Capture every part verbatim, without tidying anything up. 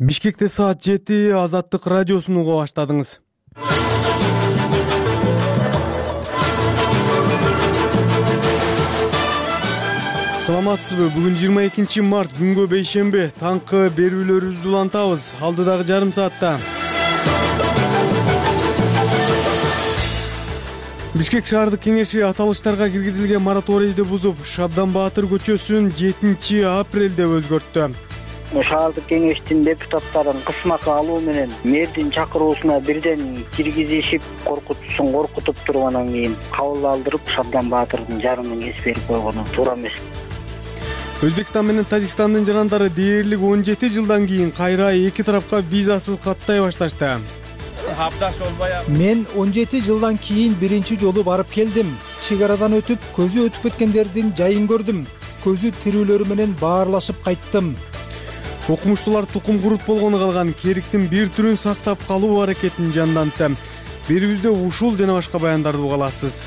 Бишкекте саат жети, Азаттык радиосун уга баштадыңыз. Саламатсызбы? Бүгүн жыйырма экинчи март, күнгө бейшемби. Таңкы берүүлөрүбүздү улантабыз. Алдыдагы жарым саатта Бишкек шаардык кеңеши аталыштарга киргизилген мораторийди бузуп, Шабдан Баатыр көчөсүн жетинчи апрелде өзгөрттү. Шаардык кеңештин депутаттарын кысмакы алуу менен мэрдин чакыруусуна бирден киргизишип, коркутуусун коркутуп тургандан кийин кабыл алдырып, Шабдан Баатырдын жарымын кесип берип койгону туура эмес. Өзбекстан менен Тажикстандын жарандары дээрлик он жети жылдан кийин кайра эки тарапка визасыз каттай башташты. Мен он жети жылдан кийин биринчи жолу барып келдим. Чек арадан өтүп, көзү өтүп кеткендердин жайын көрдүм. Көзү тирүүлөрү менен баарлашып кайттым. Окумуштуулар тукум курут болгону калган кериктин бир түрүн сактап калуу аракетин жандантты. Берүүбүздө ушул жана башка баяндарды уга аласыз.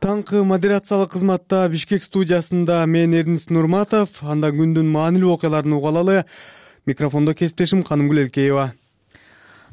Таңкы модерациялык кызматта Бишкек студиясында мен Эрнист Нурматов, анда күндүн маанилүү окуяларын уга алалы. Микрофондо кесиптешим Канымгүл Элкеева.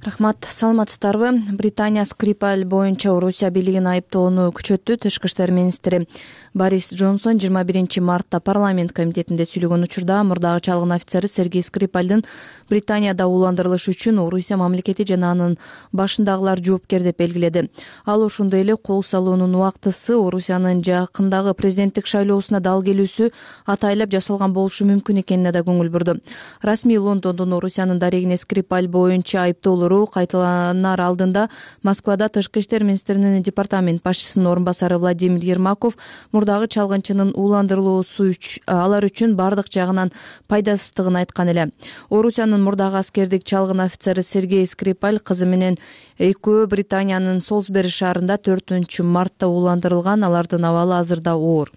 Рахмат, саламатсыздарбы? Британия Скрипаль боюнча Орусия бийлигин айыптоону күчөттү. Тышкы иштер министри Борис Джонсон жыйырма биринчи мартта парламент комитетинде сүйлөгөн учурда мурдагы чалгын офицери Сергей Скрипальдын Британияда ууландырылышы үчүн Орусия мамлекети жана анын башындагылар жоопкер деп белгиледи. Ал ошондой эле кол салуунун убактысы Орусиянын жакындагы президенттик шайлоосуна дал келүүсү атайлап жасалган болушу мүмкүн экенине да көңүл бурду. Расмий Лондондун Орусиянын дарегине Скрипаль боюнча айыптоолору кайталанар алдында Москвада тышкы иштер министринин департамент башчысынын орун басары Владимир Ермаков мурдагы чалгынчынын ууландырылуусу алар үчүн бардык жагынан пайдасыздыгын айткан эле. Орусиянын мурдагы аскердик чалгын офицери Сергей Скрипаль кызы менен экөө Британиянын Солсбери шаарында төртүнчү мартта ууландырылган. Алардын абалы азырда оор.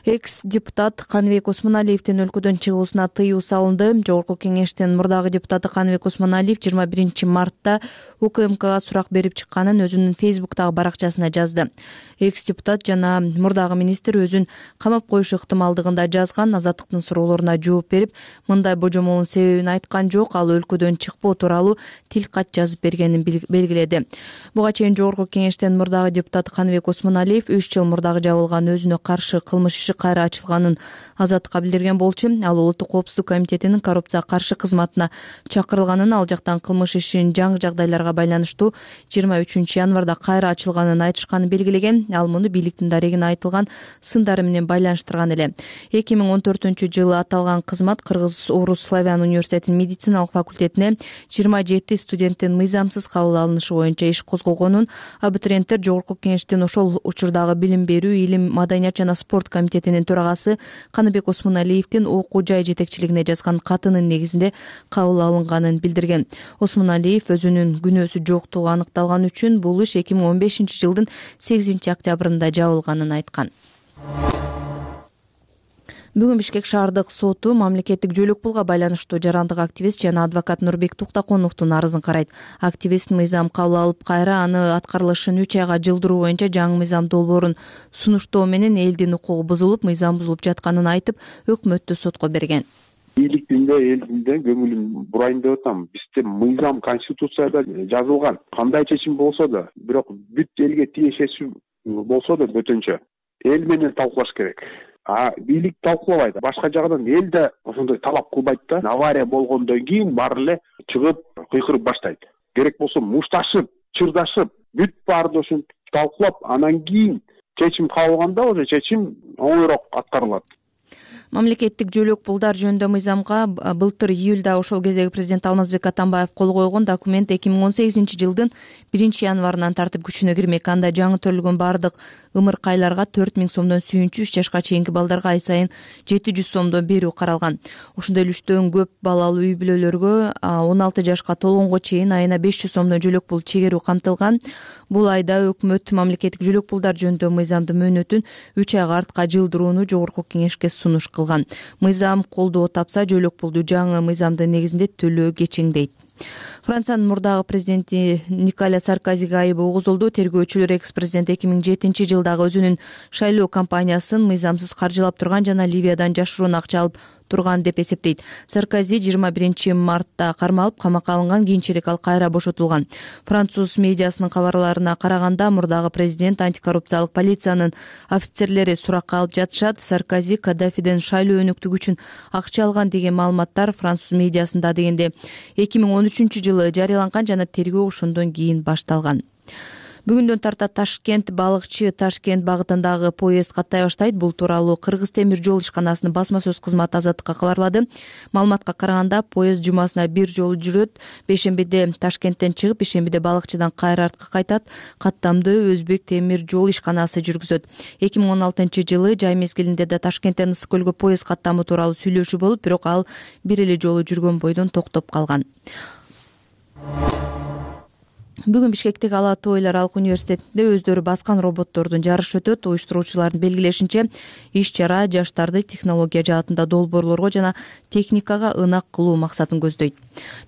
Экс-депутат Каныбек Осмоналиевдин өлкөдөн чыгуусуна тыюу салынды. Жогорку кеңештин мурдагы депутаты Каныбек Осмоналиев жыйырма биринчи мартта УКМКга сурак берип чыкканын өзүнүн Фейсбуктагы баракчасына жазды. Экс-депутат жана мурдагы министр өзүн камап коюшу ыктымалдыгында жазган. Азаттыктын суроолоруна жооп берип, мындай божомолдун себебин айткан жок. Ал өлкөдөн чыкпоо тууралуу тил кат жазып бергенин белгиледи. Буга чейин жогорку кеңештин мурдагы депутаты Каныбек Осмоналиев үч жыл мурдагы жабылган өзүнө каршы кылмыш иши кайра ачылганын Азаттыкка билдирген болчу. Ал улуттук коопсуздук комитетинин коррупцияга каршы кызматына чакырылганын, ал жактан кылмыш ишин жаңы жагдайларга байланыштуу жыйырма үчүнчү январда кайра ачылганын айтышканын белгилеген. Ал муну бийликтин дарегине айтылган сындары менен байланыштырган эле. эки миң он төртүнчү жылы аталган кызмат Кыргыз Орус Славян университетинин медициналык факультетине жыйырма жети студенттин мыйзамсыз кабыл алынышы боюнча иш козгогонун, абитуриенттер жогорку кеңештин ошол учурдагы билим берүү, илим, маданият жана спорт комитетинин төрагасы Каныбек Осмоналиевдин окуу жай жетекчилигине жазган катынын негизинде кабыл алынганын билдирген. Осмоналиев өзүнүн күнөөсү жоктугу аныкталган үчүн бул иш эки миң он бешинчи жылдын сегизинчи октябрында жабылганын айткан. Бүгүн Бишкек шаардык соту мамлекеттик жөлөк пулга байланыштуу жарандык активист жана адвокат Нурбек Туктаконовдун арызын карайт. Активист мыйзам кабыл алып, кайра аны аткарылышын үч айга жылдыруу боюнча жаңы мыйзам долбоорун сунуштоо менен элдин укугу бузулуп, мыйзам бузулуп жатканын айтып, өкмөттү сотко берген. Бийликтинде, элдинде көңүлүм бурайын деп атам. Бизде мыйзам конституцияда жазылган. Кандай чечим болсо да, бирок бүт элге тиешеси болсо да бөтөнчө эл менен талкуулаш керек. А бийлик талкуулабайт. Башка жагынан эл да ошондой талап кылбайт да. Авария болгондон кийин баары эле чыгып кыйкырып баштайт. Керек болсо мушташып, чырдашып, бүт баарды ошентип талкуулап, анан кийин чечим кабыл алганда уже чечим оңойрок аткарылат. Мамлекеттик жөлөк пулдар жөнүндө мыйзамга былтыр июлда ошол кездеги президент Алмазбек Атамбаев кол койгон. Документ эки миң он сегизинчи жылдын биринчи январынан тартып күчүнө кирмек. Анда жаңы төрөлгөн бардык ымыркайларга төрт миң сомдон сүйүнчү, үч жашка чейинки балдарга ай сайын жети жүз сомдон берүү каралган. Ошондой эле үчтөн көп балалуу үй бүлөлөргө он алты жашка толгонго чейин айына беш жүз сомдон жөлөк пул чегерүү камтылган. Бул айда өкмөт мамлекеттик жөлөк пулдар жөнүндө мыйзамдын мөөнөтүн үч айга артка жылдырууну жогорку кеңешке сунуш кылган. Мыйзам колдоо тапса, жөлөк пулду жаңы мыйзамдын негизинде төлөө кечеңдейт. Франциянын мурдагы президенти Николя Саркозиге айыбы угузулду. Тергөөчүлөр экс-президент эки миң жетинчи жылдагы өзүнүн шайлоо кампаниясын мыйзамсыз каржылап турган жана Ливиядан жашыруун акча алып турган деп эсептейт. Саркози жыйырма биринчи мартта кармалып, камакка алынган, кийинчерээк ал кайра бошотулган. Француз медиасынын кабарларына караганда, мурдагы президент антикоррупциялык полициянын офицерлери суракка алып жатышат. Саркози Каддафиден шайлоо өнүктүгү үчүн акча алган деген маалыматтар француз медиасында дегенде эки миң он үчүнчү жылы жарыяланган жана тергөө ошондон кийин башталган. Бүгүндөн тарта Ташкент балыкчы Ташкент багытындагы поезд каттай баштайт. Бул тууралуу Кыргыз темир жол ишканасынын басма сөз кызматы Азаттыкка кабарлады. Маалыматка караганда, поезд жумасына бир жолу жүрөт. Бейшембиде Ташкенттен чыгып, бейшембиде балыкчыдан кайра артка кайтат. Каттамды Өзбек темир жол ишканасы жүргүзөт. эки миң он алтынчы жылы жай мезгилинде да Ташкенттен Ысык көлгө поезд каттамы тууралуу сүйлөшүү болуп, бирок ал бир эле жолу жүргөн бойдон токтоп калган. Бүгүн Бишкектеги Ала Тоо эл аралык университетинде өздөрү баскан роботтордун жарышы өтөт. Уюштуруучулардын белгилешинче, иш-чара жаштарды технология жаатында долбоорлорго жана техникага ынак кылуу максатын көздөйт.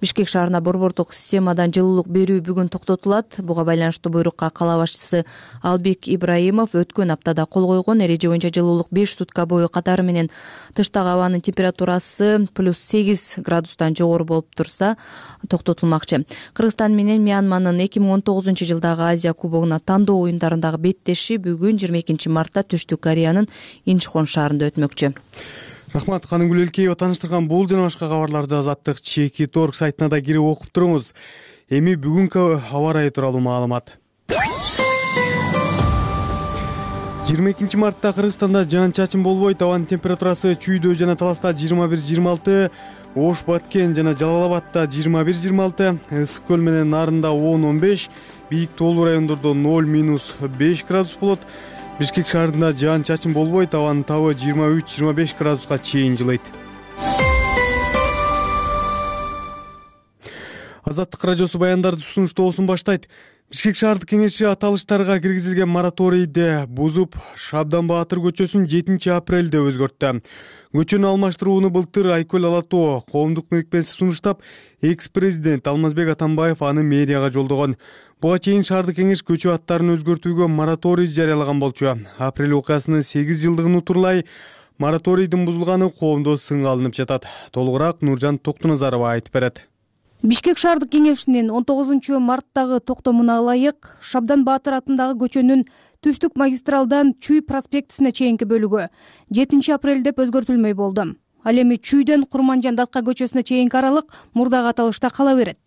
Бишкек шаарына борбордук системадан жылуулук берүү бүгүн токтотулат. Буга байланыштуу буйрукка кала башчысы Албек Ибраимов өткөн аптада кол койгон. Эреже боюнча жылуулук беш сутка бою катары менен тыштагы абанын температурасы плюс сегиз градустан жогору болуп турса токтотулмакчы. Кыргызстан менен Мьянманын эки миң он тогузунчу жылдагы Азия кубогуна тандоо оюндарындагы беттеши бүгүн жыйырма экинчи мартта Түштүк Кореянын Инчхон шаарында өтмөкчү. Рахмат, Каныгүл Элкеева таныштырган бул жана башка кабарларды Азаттык чекит орг сайтына да кирип окуп туруңуз. Эми бүгүнкү аба ырайы тууралуу маалымат. жыйырма экинчи мартта Кыргызстанда жаан-чачын болбойт. Абанын температурасы Чүйдө жана Таласта жыйырма бир жыйырма алты, Ош, Баткен жана Жалал Абадта жыйырма бир жыйырма алты, Ысык көл менен Нарында он он беш, бийик тоолуу райондордо ноль минус беш градус болот. Бишкек шаарында жаан-чачын болбойт. Абанын табы жыйырма үч жыйырма беш градуска чейин жылыйт. Азаттык радиосу баяндарды сунуштоосун баштайт. Бишкек шаардык кеңеши аталыштарга киргизилген мораторийди бузуп, Шабдан Баатыр көчөсүн жетинчи апрелде өзгөрттү. Көчөнү алмаштырууну былтыр Айкөл Ала Тоо коомдук мирикмеси сунуштап, экс-президент Алмазбек Атамбаев аны мэрияга жолдогон. Буга чейин шаардык кеңеш көчө аттарын өзгөртүүгө мораторий жарыялаган болчу. Апрель окуясынын сегиз жылдыгын утурлай мораторийдин бузулганы коомдо сынга алынып жатат. Толугураак Нуржан Токтуназарова айтып берет. Бишкек шаардык кеңешинин он тогузунчу марттагы токтомуна ылайык Шабдан Баатыр атындагы көчөнүн Түштүк магистралдан Чүй проспектисине чейинки бөлүгү жетинчи апрель деп өзгөртүлмөй болду. Ал эми Чүйдөн Курманжан Датка көчөсүнө чейинки аралык мурдагы аталышта кала берет.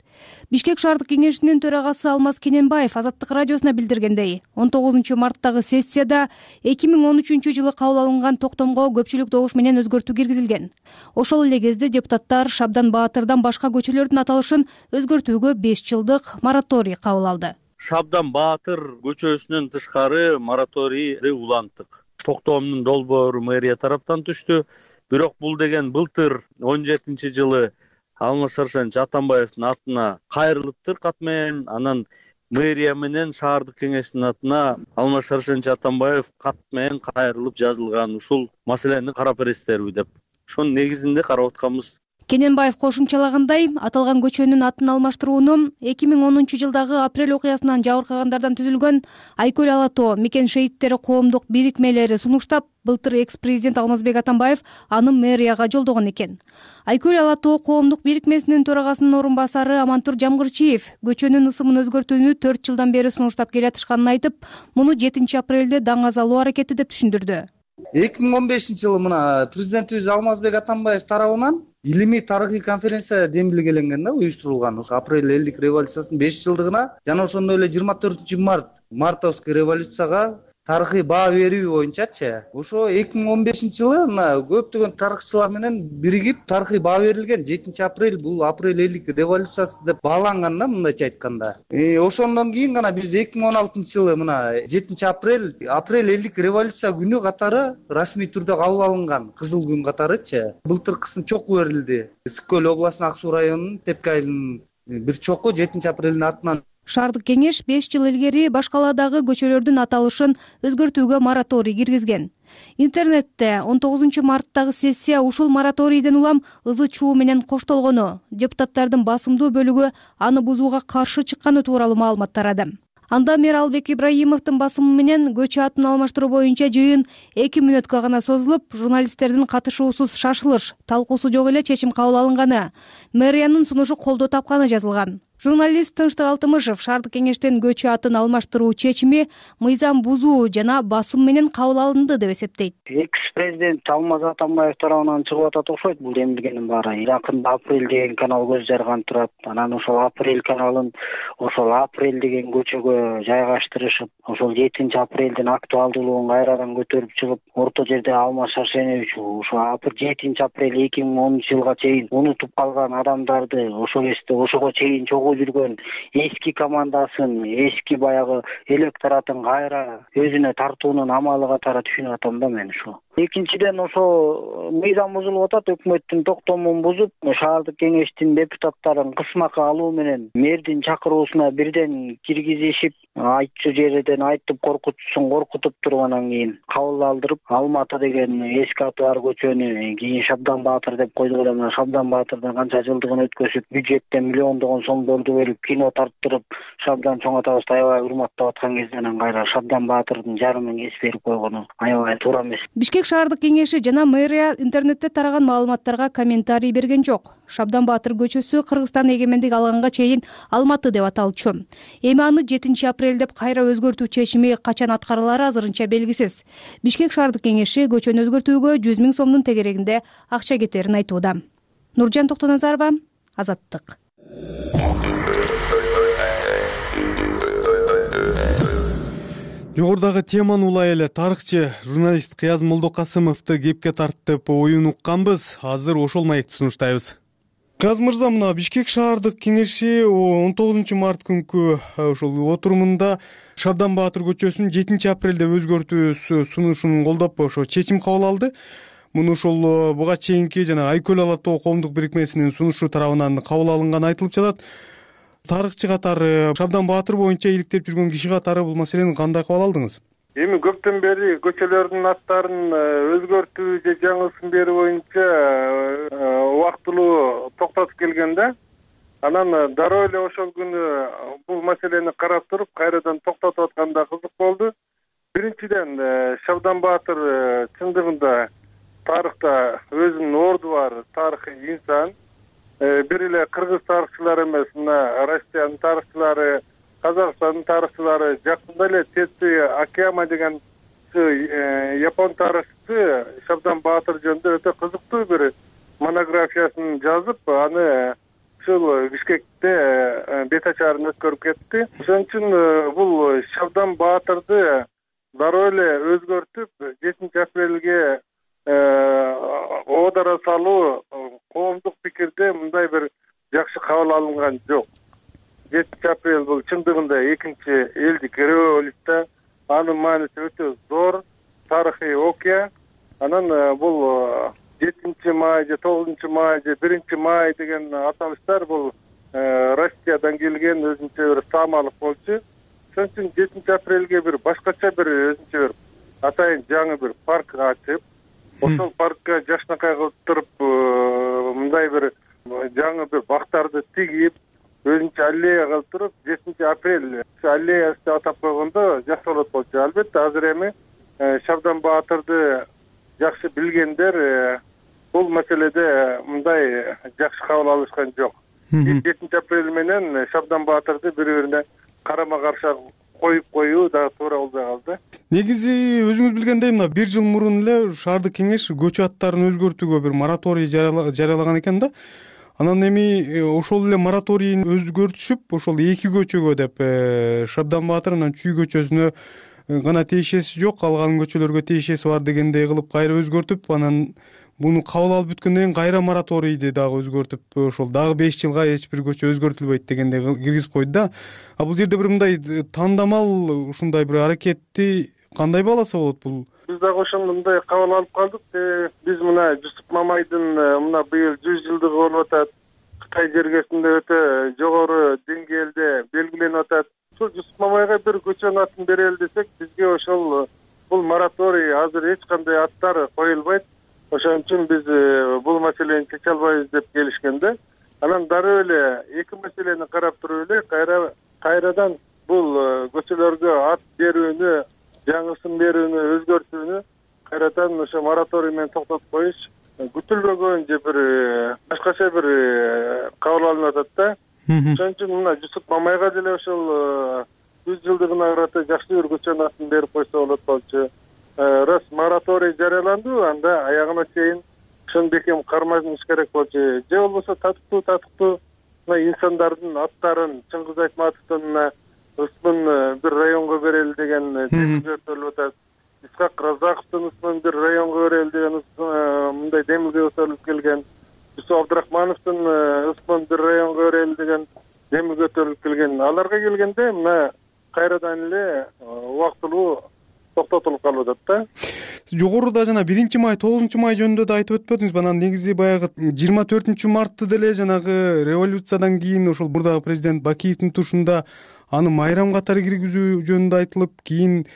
Бишкек шаардык кеңешинин төрагасы Алмаз Кененбаев Азаттык радиосуна билдиргендей, он тогузунчу марттагы сессияда эки миң он үчүнчү жылы кабыл алынган токтомго көпчүлүк добуш менен өзгөртүү киргизилген. Ошол эле кезде депутаттар Шабдан Баатырдан башка көчөлөрдүн аталышын өзгөртүүгө беш жылдык мораторий кабыл алды. Шабдан Баатыр көчөсүнөн тышкары мораторийди уланттык. Токтомдун долбоору мэрия тараптан түштү. Бирок бул деген былтыр он жетинчи жылы Алмаз Шаршенович Атамбаевдин атына кайрылыптыр кат менен. Анан мэрия менен шаардык кеңештин атына Алмаз Шаршенович Атамбаев кат менен кайрылып жазылган. Ушул маселени карап бересиздерби деп. Ошонун негизинде карап атканбыз. Кененбаев кошумчалагандай, аталган көчөнүн атын алмаштырууну эки миң онунчу жылдагы апрель окуясынан жабыркагандардан түзүлгөн Айкөл Ала Тоо мекен шейиттери коомдук бирикмелери сунуштап, былтыр экс-президент Алмазбек Атамбаев аны мэрияга жолдогон экен. Айкөл Ала Тоо коомдук бирикмесинин төрагасынын орун басары Амантур Жамгырчиев көчөнүн ысымын өзгөртүүнү төрт жылдан бери сунуштап келатышканын айтып, муну жетинчи апрелде даңаз алуу аракети деп түшүндүрдү. эки миң он бешинчи жылы мына президентибиз Алмазбек Атамбаев тарабынан илимий тарыхый конференция демилгеленген да, уюштурулган. Ошо апрель элдик революциясынын беш жылдыгына жана ошондой эле жыйырма төртүнчү март мартовский революцияга тарыхый баа берүү боюнчачы. Ошо эки миң он бешинчи жылы мына көптөгөн тарыхчылар менен биригип тарыхый баа берилген. жетинчи апрель бул апрель элдик революциясы деп бааланган да, мындайча айтканда. Э ошондон кийин гана биз эки миң он алтынчы жылы мына жетинчи апрель апрель элдик революция күнү катары расмий түрдө кабыл алынган, кызыл күн катарычы. Былтыркысын чоку берилди. Ысык көл областынын Ак Суу районунун Тепке айылынын бир чоку жетинчи апрелдин атынан. Шаардык кеңеш беш жыл илгери баш каладагы көчөлөрдүн аталышын өзгөртүүгө мораторий киргизген. Интернетте он тогузунчу марттагы сессия ушул мораторийден улам ызы чуу менен коштолгону, депутаттардын басымдуу бөлүгү аны бузууга каршы чыкканы тууралуу маалымат тарады. Анда мэр Албек Ибраимовдун басымы менен көчө атын алмаштыруу боюнча жыйын эки мүнөткө гана созулуп, журналисттердин катышуусуз шашылыш, талкуусу жок эле чечим кабыл алынганы, мэриянын сунушу колдоо тапканы жазылган. Журналист Тынчтык Алтымышев шаардык кеңештен көчө атын алмаштыруу чечими мыйзам бузуу жана басым менен кабыл алынды деп эсептейт. Экс-президент Алмаз Атамбаев тарабынан чыгып атат окшойт бул демилгенин баары. Жакында Апрель деген канал көз жарган турат. Анан ошол Апрель каналын ошол Апрель деген көчөгө жайгаштырышып, ошол жетинчи апрелдин актуалдуулугун кайрадан көтөрүп чыгып, орто жерде Алмаз Шаршенович ошо жетинчи апрель эки миң онунчу жылга чейин унутуп калган адамдарды ошол кезде ошого чейин жүргөн эски командасын, эски баягы электоратын кайра өзүнө тартуунун амалы катары түшүнүп атам да мен ушу. Экинчиден ошо мыйзам бузулуп атат, өкмөттүн токтомун бузуп, шаардык кеңештин депутаттарын кысмакка алуу менен мэрдин чакыруусуна бирден киргизишип, айтчу жерден айтып коркутуусун коркутуп туруп анан кийин кабыл алдырып, Алматы деген эски аты бар көчөнү кийин Шабдан Баатыр деп койдук эле. Мына Шабдан Баатырдын канча жылдыгын өткөзүп, бюджеттен миллиондогон сомдорду берип, кино тарттырып, Шабдан чоң атабызды аябай урматтап аткан кезде анан кайра Шабдан Баатырдын жарымын эс берип койгону аябай туура эмес. Бишкек шаардык кеңеши жана мэрия интернетте тараган маалыматтарга комментарий берген жок. Шабдан Баатыр көчөсү Кыргызстан эгемендик алганга чейин Алматы деп аталчу. Эми аны жетинчи апрель деп кайра өзгөртүү чечими качан аткарылары азырынча белгисиз. Бишкек шаардык кеңеши көчөнү өзгөртүүгө жүз миң сомдун тегерегинде акча кетерин айтууда. Нуржан Токтоназарова, Азаттык. Жогорудагы теманы улай эле тарыхчы журналист Кыяз Молдокасымовду кепке тартып оюн укканбыз. Азыр ошол маекти сунуштайбыз. Кыяз мырза, мына Бишкек шаардык кеңеши он тогузунчу март күнкү ошол отурумунда Шабдан Баатыр көчөсүн жетинчи апрелде өзгөртүү сунушун колдоп ошо чечим кабыл алды. Муну ошол буга чейинки жана Айкөл Ала тоо коомдук бирикмесинин сунушу тарабынан кабыл алынганы айтылып жатат. Тарыхчы катары, Шабдан Баатыр боюнча иликтеп жүргөн киши катары бул маселени кандай кабыл алдыңыз? Эми көптөн бери көчөлөрдүн аттарын өзгөртүү же жаңысын берүү боюнча убактылуу токтотуп келген да. Анан дароо эле ошол күнү бул маселени карап туруп, кайрадан токтотуп атканда кызык болду. Биринчиден, Шабдан Баатыр чындыгында тарыхта өзүнүн орду бар тарыхый инсан. Бир эле кыргыз тарыхчылары эмес, мына Россиянын тарыхчылары, Казакстандын тарыхчылары, жакында эле Теци Акияма деген япон тарыхчысы Шабдан Баатыр жөнүндө өтө кызыктуу бир монографиясын жазып, аны ушул Бишкекте бет ачарын өткөрүп кетти. Ошон үчүн бул Шабдан Баатырды дароо эле өзгөртүп, жетинчи апрелге оодара салуу коомдук пикирде мындай бир жакшы кабыл алынган жок. жетинчи апрель бул чындыгында экинчи элдик революция, анын мааниси өтө зор, тарыхый окуя. Анан бул жетинчи май же тогузунчу май же биринчи май деген аталыштар бул Россиядан келген өзүнчө бир таамалык болчу. Ошон үчүн жетинчи апрелге бир башкача бир өзүнчө бир атайын жаңы бир парк ачып, ошол паркка жашнакай кылып туруп, мындай бир жаңы бир бактарды тигип, өзүнчө аллея кылып туруп, жетинчи апрель аллеясы деп атап койгондо жакшы болот болчу. Албетте азыр эми Шабдан Баатырды жакшы билгендер бул маселеде мындай жакшы кабыл алышкан жок. жетинчи апрель менен Шабдан Баатырды бири-бирине карама-каршы коюп коюу да туура болбой калды. Негизи өзүңүз билгендей, мына бир жыл мурун эле шаардык кеңеш көчө аттарын өзгөртүүгө бир мораторий жарыялаган экен да. Анан эми ошол эле мораторийин өзгөртүшүп, ошол эки көчөгө деп Шабдан Баатыр анан Чүй көчөсүнө гана тиешеси жок, калган көчөлөргө тиешеси бар дегендей кылып кайра өзгөртүп, анан муну кабыл алып бүткөндөн кийин кайра мораторийди дагы өзгөртүп, ошол дагы беш жылга эч бир көчө өзгөртүлбөйт дегендей киргизип койду да. А бул жерде бир мындай тандамал ушундай бир аракетти кандай бааласа болот бул? Биз дагы ошондой кабыл алып калдык. Биз мына Жусуп Мамайдын мына быйыл жүз жылдыгы болуп атат. Кытай жергесинде өтө жогору деңгээлде белгиленип атат. Ошол Жусуп Мамайга бир көчөнүн атын берели десек, бизге ошол бул мораторий азыр эч кандай аттары коюлбайт. Ошон үчүн биз бул маселени чече албайбыз деп келишкенде, анан дароо эле эки маселени карап туруп эле кайра кайрадан бул көчөлөргө ат берүүнү, жаңысын берүүнү, өзгөртүүнү кайрадан ошо мораторий менен токтотуп коюш күтүлбөгөн же бир башкача бир кабыл алынып атат да. Ошон үчүн мына Жусуп Мамайга деле ошол жүз жылдыгына карата жакшы бир көчөнүн атын берип койсо болот болчу. Раз мораторий жарыяланды, анда аягына чейин ошону бекем кармаш керек болчу. Же болбосо татыктуу татыктуу мына инсандардын аттарын Чыңгыз Айтматовдун ысмын бир районго берели деген демилге өтөлүп атат. Исхак Разаковдун ысмын бир районго берели деген мындай демилге өтөлүп келген. Жусуп Абдрахмановдун ысмын бир районго берели деген демилге өтөлүп келген. Аларга келгенде мына кайрадан эле убактылуу токтотулуп калып атат да. Жогоруда жана биринчи май, тогузунчу май жөнүндө да айтып өтпөдүңүз. Анан негизи баягы жыйырма төртүнчү мартты деле жанагы революциядан кийин ошол мурдагы президент Бакиевдин тушунда аны майрам катары киргизүү жөнүндө айтылып, кийин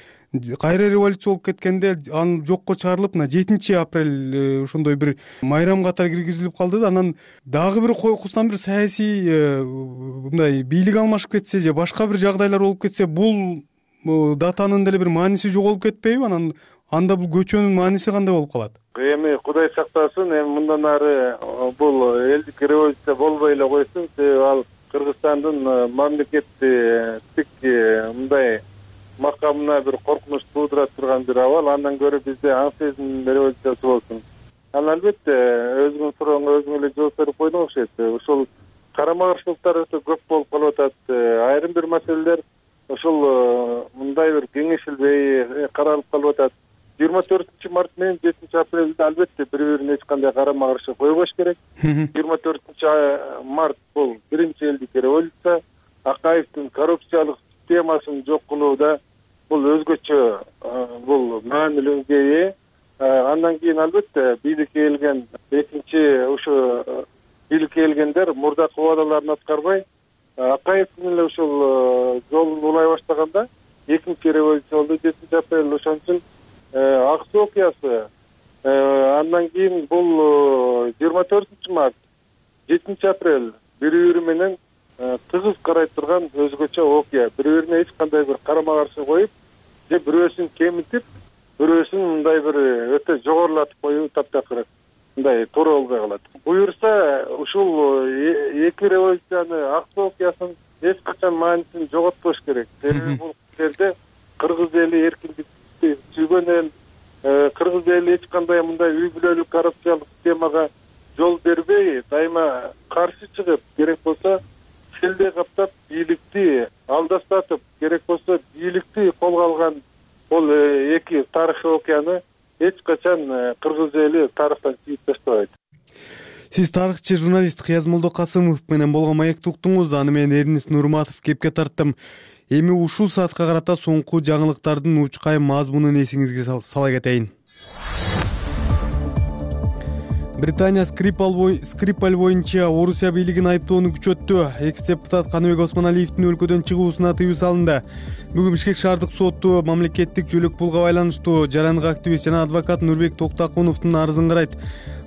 кайра революция болуп кеткенде аны жокко чыгарылып, мына жетинчи апрель ошондой бир майрам катары киргизилип калды да. Анан дагы бир койкусунан бир саясий мындай бийлик алмашып кетсе же башка бир жагдайлар болуп кетсе, бул датанын деле бир мааниси жоголуп кетпейби? Анан анда бул көчөнүн мааниси кандай болуп калат? Эми Кудай сактасын, эми мындан ары бул элдик революция болбой эле койсун, себеби ал Кыргызстандын мамлекеттик мындай макамына бир коркунуч туудура турган бир абал. Андан көрө бизде аң сезим революциясы болсун. Анан албетте өзүңүн сурооңо өзүң эле жооп берип койдуң окшойт. Ушул карама каршылыктар өтө көп болуп калып атат. Айрым бир маселелер ошол мындай бир кеңешилбей каралып калып атат. жыйырма төртүнчү март менен жетинчи апрелде албетте бири-бирине эч кандай карама каршы койбош керек. жыйырма төртүнчү март бул биринчи элдик революция. Акаевдин коррупциялык системасын жок кылууда бул өзгөчө бул маанилүүгө ээ. Андан кийин албетте бийликке келген экинчи ушу бийликке келгендер мурдакы убадаларын аткарбай, Акаевдин эле ушул жолун улай баштаганда экинчи революция болду жетинчи апрель. Ошон үчүн Ак Суу окуясы, андан кийин бул жыйырма төртүнчү март, жетинчи апрель бири-бири менен тыгыз карай турган өзгөчө окуя. Бири-бирине эч кандай бир карама каршы коюп, же бирөөсүн кемитип, бирөөсүн мындай бир өтө жогорулатып коюу таптакыр мындай туура болбой калат. Буюрса ушул эки революцияны, Ак Суу окуясын эч качан маанисин жоготпош керек. Себеби бул жерде кыргыз эли эркиндик сүйгөн эл, кыргыз эли эч кандай мындай үй бүлөлүк коррупциялык системага жол бербей, дайыма каршы чыгып, керек болсо селдей каптап бийликти алдастатып, керек болсо бийликти колго алган бул эки тарыхый окуяны эч качан кыргыз эли тарыхтан чийип таштабайт. Сиз тарыхчы журналист Кыяз Молдокасымов менен болгон маекти уктуңуз. Аны мен Эрнис Нурматов кепке тарттым. Эми ушул саатка карата соңку жаңылыктардын учкай мазмунун эсиңизге сала кетейин. Британия Скрипаль боюнча Орусия бийлигин айыптоону күчөттү. Экс-депутат Каныбек Осмоналиевдин өлкөдөн чыгуусуна тыюу салынды. Бүгүн Бишкек шаардык соту мамлекеттик жөлөк пулга байланыштуу жарандык активист жана адвокат Нурбек Токтакуновдун арызын карайт.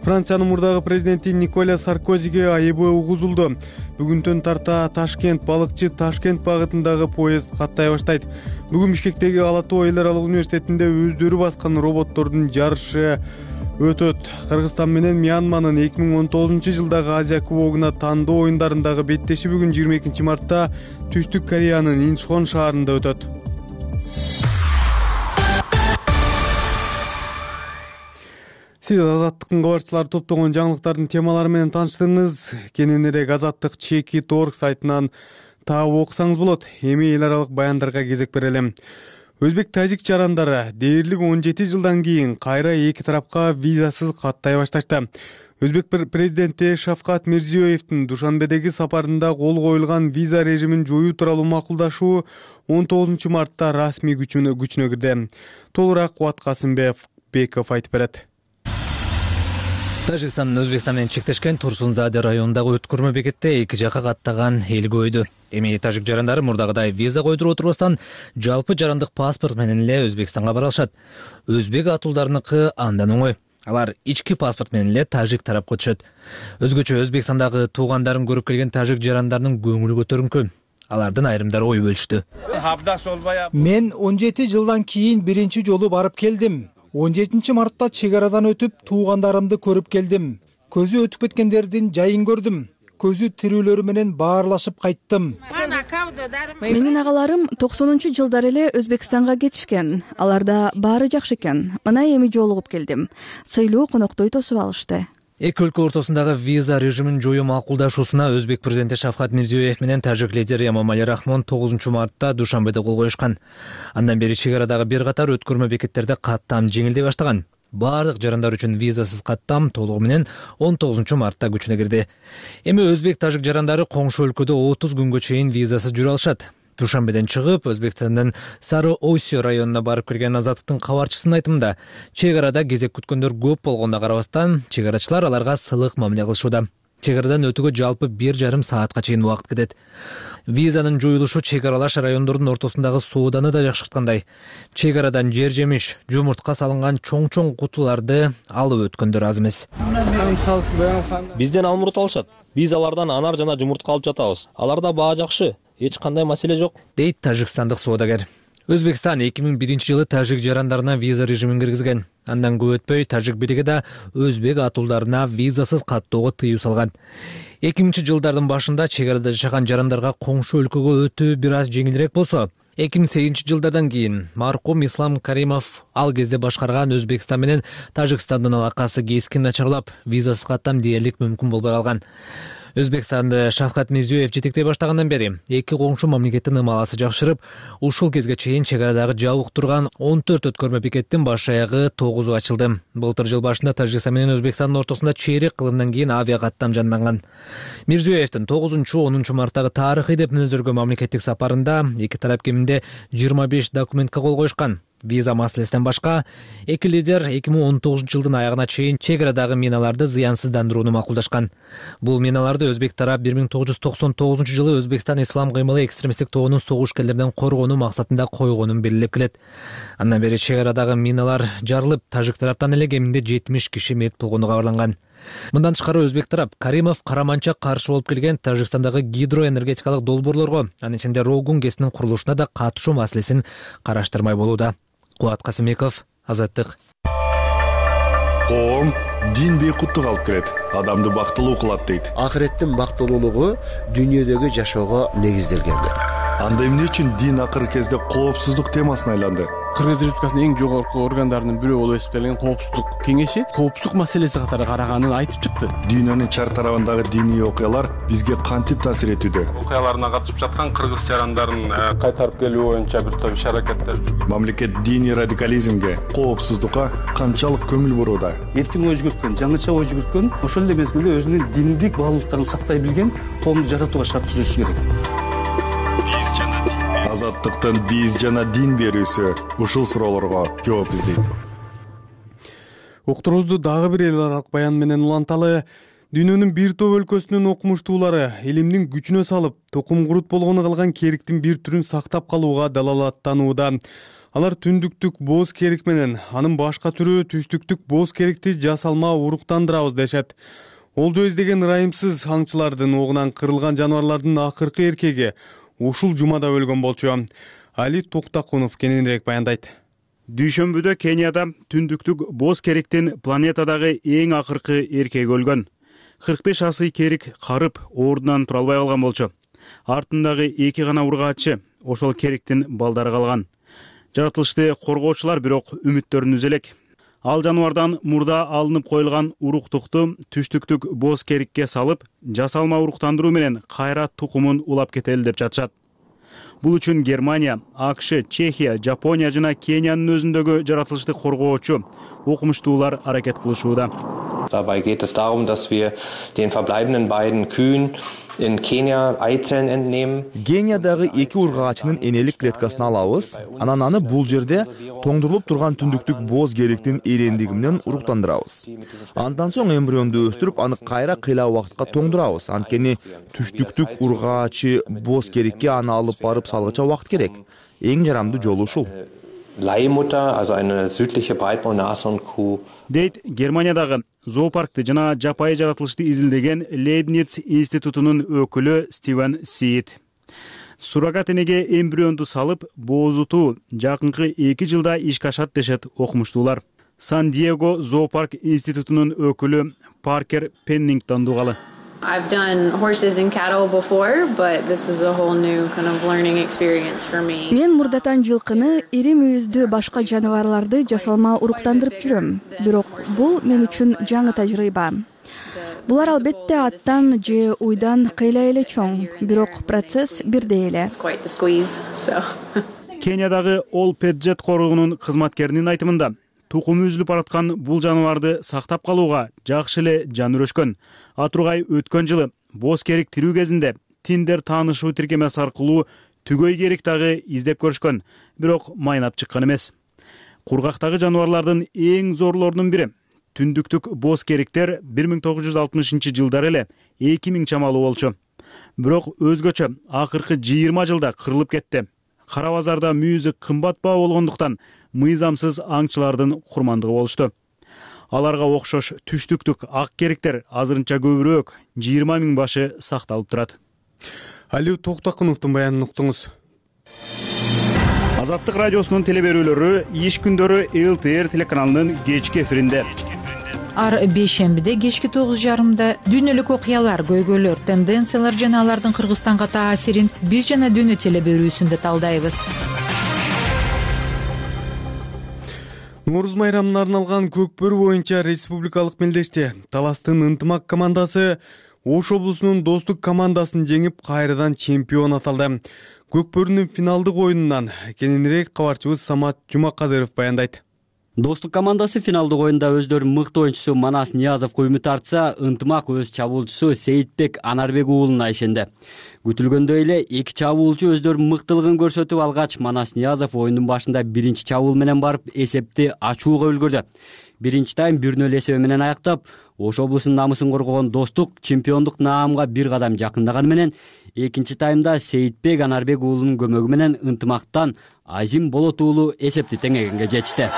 Франциянын мурдагы президенти Николя Саркозиге айыбы угузулду. Бүгүнтөн тарта Ташкент балыкчы Ташкент багытындагы поезд каттай баштайт. Бүгүн Бишкектеги Ала Тоо эл аралык университетинде өздөрү баскан роботтордун жарышы өтөт. Кыргызстан менен Мьянманын эки миң он тогузунчу жылдагы Азия кубогуна тандоо оюндарындагы беттеши бүгүн жыйырма экинчи мартта Түштүк Кореянын Инчхон шаарында өтөт. Сиз Азаттыктын кабарчылары топтогон жаңылыктардын темалары менен тааныштыңыз. Кененирээк Азаттык чеки точка орг сайтынан таап окусаңыз болот. Эми эл аралык баяндарга кезек берелим. Өзбек-тажик жарандары дээрлик он жети жылдан кийин кайра эки тарапка визасыз каттай башташты. Өзбек президенти Шавкат Мирзиёевдин Душанбедеги сапарында кол коюлган виза режимин жоюу тууралуу макулдашуу он тогузунчу мартта расмий күчүнө кирди. Толураак Кубат Касымбеков айтып берет. Тажикстан Өзбекстан менен чектешкен Турсунзаде районундагы өткөрмө бекетте эки жака каттаган эл көбөйдү. Эми тажик жарандары мурдагыдай виза койдуруп отурбастан жалпы жарандык паспорт менен эле Өзбекстанга бара алышат. Өзбек атуулдарыныкы андан оңой. Алар ички паспорт менен эле тажик тарапка өтүшөт. Өзгөчө Өзбекстандагы туугандарын көрүп келген тажик жарандарынын көңүлү көтөрүнкү. Алардын айрымдары ой бөлүштү. Мен он жети жылдан кийин биринчи жолу барып келдим. он жетинчи мартта чек арадан өтүп туугандарымды көрүп келдим. Көзү өтүп кеткендердин жайын көрдүм. Көзү тирүүлөрү менен баарлашып кайттым. Менин агаларым токсонунчу жылдары эле Өзбекстанга кетишкен. Аларда баары жакшы экен. Мына эми жолугуп келдим. Сыйлуу коноктой тосуп алышты. Эки өлкө ортосундагы виза режимин жоюу макулдашуусуна Өзбек президенти Шавкат Мирзиёев менен тажик лидери Эмомали Рахмон тогузунчу мартта Душанбеде кол коюшкан. Андан бери чек арадагы бир катар өткөрмө бекеттерде каттам жеңилдей баштаган. Баардык жарандар үчүн визасыз каттам толугу менен он тогузунчу мартта күчүнө кирди. Эми өзбек тажик жарандары коңшу өлкөдө отуз күнгө чейин визасыз жүрө алышат. Душанбеден чыгып, Өзбекстандын Сары Ойсё районуна барып келген Азаттыктын кабарчысынын айтымында, чек арада кезек күткөндөр көп болгонуна карабастан, чек арачылар аларга сылык мамиле кылышууда. Чек арадан өтүүгө жалпы бир жарым саатка чейин убакыт кетет. Визанын жоюлушу чек аралаш райондордун ортосундагы сооданы да жакшырткандай. Чек арадан жер жемиш, жумуртка салынган чоң-чоң кутуларды алып өткөндөр аз эмес. Бизден алмурут алышат. Биз алардан анар жана жумуртка алып жатабыз. Аларда баа жакшы. Эч кандай маселе жок, дейт тажикстандык соодагер. Өзбекстан эки миң биринчи жылы тажик жарандарына виза режимин киргизген. Андан көп өтпөй тажик бириги да өзбек атуулдарына визасыз каттоого тыюу салган. эки миңинчи жылдардын башында чек арада жашаган жарандарга коңшу өлкөгө өтүү бир аз жеңилирээк болсо, эки миң сегизинчи жылдардан кийин маркум Ислам Каримов ал кезде башкарган Өзбекстан менен Тажикстандын алакасы кескин начарлап, визасыз каттам дээрлик мүмкүн болбой калган. Өзбекстанды Шавкат Мирзиёев жетектей баштагандан бери эки коңшу мамлекеттин ымаласы жакшырып, ушул кезге чейин чек арадагы жабык турган он төрт өткөрмө бекеттин баш аягы тогузу ачылды. Былтыр жыл башында Тажикстан менен Өзбекстандын ортосунда чейрек кылымдан кийин авиа каттам жанданган. Мирзиёевдин тогузунчу онунчу марттагы тарыхый деп мүнөздөргөн мамлекеттик сапарында эки тарап кеминде жыйырма беш документке кол коюшкан. Виза маселесинен башка, эки лидер эки миң он тогузунчу жылдын аягына чейин чек арадагы миналарды зыянсыздандырууну макулдашкан. Бул миналарды өзбек тарап бир миң тогуз жүз токсон тогузунчу жылы Өзбекстан ислам кыймылы экстремисттик тобунун согушкерлерден коргонуу максатында койгонун белгилеп келет. Андан бери чек арадагы миналар жарылып, тажик тараптан эле кеминде жетимиш киши мерт болгону кабарланган. Мындан тышкары өзбек тарап Каримов караманча каршы болуп келген Тажикстандагы гидроэнергетикалык долбоорлорго, анын ичинде Рогун КЭСинин курулушуна да катышуу маселесин караштырмай болууда. Кубат Касымбеков, Азаттык. Коом дин бейкуттук алып келет, адамды бактылуу кылат дейт. Акыреттин бактылуулугу дүйнөдөгү жашоого негизделген. Анда эмне үчүн дин акыркы кезде коопсуздук темасына айланды? Кыргыз Республикасынын эң жогорку органдарынын бирөө болуп эсептелген Коопсуздук кеңеши коопсуздук маселеси катары караганын айтып чыкты. Дүйнөнүн чар тарабындагы диний окуялар бизге кантип таасир этүүдө? Окуяларына катышып жаткан кыргыз жарандарын кайтарып келүү боюнча бир топ иш-аракеттер. Мамлекет диний радикализмге, коопсуздукка канчалык көңүл бурууда? Эркин ой жүгүрткөн, жаңыча ой жүгүрткөн, ошол эле мезгилде өзүнүн диндик баалуулуктарын сактай билген коомду жаратууга шарт түзүшү керек. Азаттыктын биз жана дин берүүсү ушул суроолорго жооп издейт. Уктуруубузду дагы бир эл аралык баян менен уланталы. Дүйнөнүн бир топ өлкөсүнүн окумуштуулары илимдин күчүнө салып, токум курут болгону калган кериктин бир түрүн сактап калууга далалаттанууда. Алар түндүктүк боз керик менен анын башка түрү түштүктүк боз керикти жасалма уруктандырабыз дешет. Олжо издеген ырайымсыз аңчылардын огунан кырылган жаныбарлардын акыркы эркеги ушул жумада өлгөн болчу. Али Токтакунов кененирээк баяндайт. Дүйшөмбүдө Кенияда түндүктүк боз кериктин планетадагы эң акыркы эркеги өлгөн. кырк беш асый керик карып ордунан тура албай калган болчу. Артындагы эки гана ургаачы ошол кериктин балдары калган. Жаратылышты коргоочулар бирок үмүттөрүн үзө элек. Ал жаныбардан мурда алынып коюлган уруктукту түштүктүк боз керикке салып, жасалма уруктандыруу менен кайра тукумун улап кетели деп жатышат. Бул үчүн Германия, АКШ, Чехия, Жапония жана Кениянын өзүндөгү жаратылышты коргоочу окумуштуулар аракет кылышууда. Dabei geht es darum, dass wir den verbleibenden beiden Kühen in Kenia Eizellen entnehmen. Кениядагы эки ургачынын энелик клеткасын алабыз. Анан аны бул жерде тоңдурулуп турган түндүктүк боз кериктин эрендиги менен уруктандырабыз. Андан соң эмбрионду өстүрүп, аны кайра кыйла убакытка тоңдурабыз. Анткени түштүктүк ургачы боз керикке аны алып барып салгыча убакыт керек. Эң жарамдуу жолу ушул. Leihmutter, also eine südliche Breitmaul-Nashornkuh. Дейт Германиядагы зоопаркты жана жапайы жаратылышты изилдеген Лейбниц институтунун өкүлү Стивен Сиит. Суррогат энеге эмбрионду салып, боозутуу жакынкы эки жылда ишке ашат дешет окумуштуулар. Сан-Диего зоопарк институтунун өкүлү Паркер Пеннингтон дугалы. I've done horses and cattle before, but this is a whole new kind of learning experience for me. Мен мурдатан жылкыны, ири мүйүздүү башка жаныбарларды жасалма уруктандырып жүрөм. Бирок бул мен үчүн жаңы тажрыйба. Булар албетте аттан же уйдан кыйла эле чоң, бирок процесс бирдей эле. Кениядагы All Pet Jet коргоонунун кызматкеринин айтымында, тукуму үзүлүп бараткан бул жаныбарды сактап калууга жакшы эле жан үрөшкөн. Атургай өткөн жылы боз керик тирүү кезинде Tinder таанышуу тиркемеси аркылуу түгөй керик дагы издеп көрүшкөн, бирок майнап чыккан эмес. Кургактагы жаныбарлардын эң зорлорунун бири түндүктүк боз кериктер бир миң тогуз жүз алтымышынчы жылдары эле эки миң чамалуу болчу. Бирок өзгөчө акыркы жыйырма жылда кырылып кетти. Кара базарда мүйүзү кымбат баа болгондуктан мыйзамсыз аңчылардын курмандыгы болушту. Аларга окшош түштүктүк ак кериктер азырынча көбүрөөк, жыйырма миң башы сакталып турат. Алиу Токтокуновдун баянын уктуңуз. Азаттык радиосунун телеберүүлөрү иш күндөрү эл тэ эр телеканалынын кечки эфиринде. Ар бейшембиде кечки тогуз жарымда дүйнөлүк окуялар, көйгөйлөр, тенденциялар жана алардын Кыргызстанга таасирин биз жана дүйнө телеберүүсүндө талдайбыз. Нооруз майрамына арналган Көкбөрү боюнча республикалык мелдеште Таластын ынтымак командасы Ош облусунун Достук командасын жеңип, кайрадан чемпион аталды. Көкбөрүнүн финалдык оюнунан кененирээк кабарчыбыз Самат Жумакадыров баяндайт. Достук командасы финалдык оюнда өздөрүнүн мыкты оюнчусу Манас Ниязовго үмүт артса, ынтымак өз чабуулчусу Сейитбек Анарбек уулуна ишенди. Күтүлгөндөй эле эки чабуулчу өздөрүнүн мыктылыгын көрсөтүп алгач, Манас Ниязов оюндун башында биринчи чабуул менен барып эсепти ачууга үлгүрдү. Биринчи тайм бир нөл эсеби менен аяктап, Ош облусунун намысын коргогон Достук чемпиондук наамга бир кадам жакындаганы менен, экинчи таймда Сейитбек Анарбек уулунун көмөгү менен ынтымактан Азим Болот уулу эсепти теңегенге жетишти.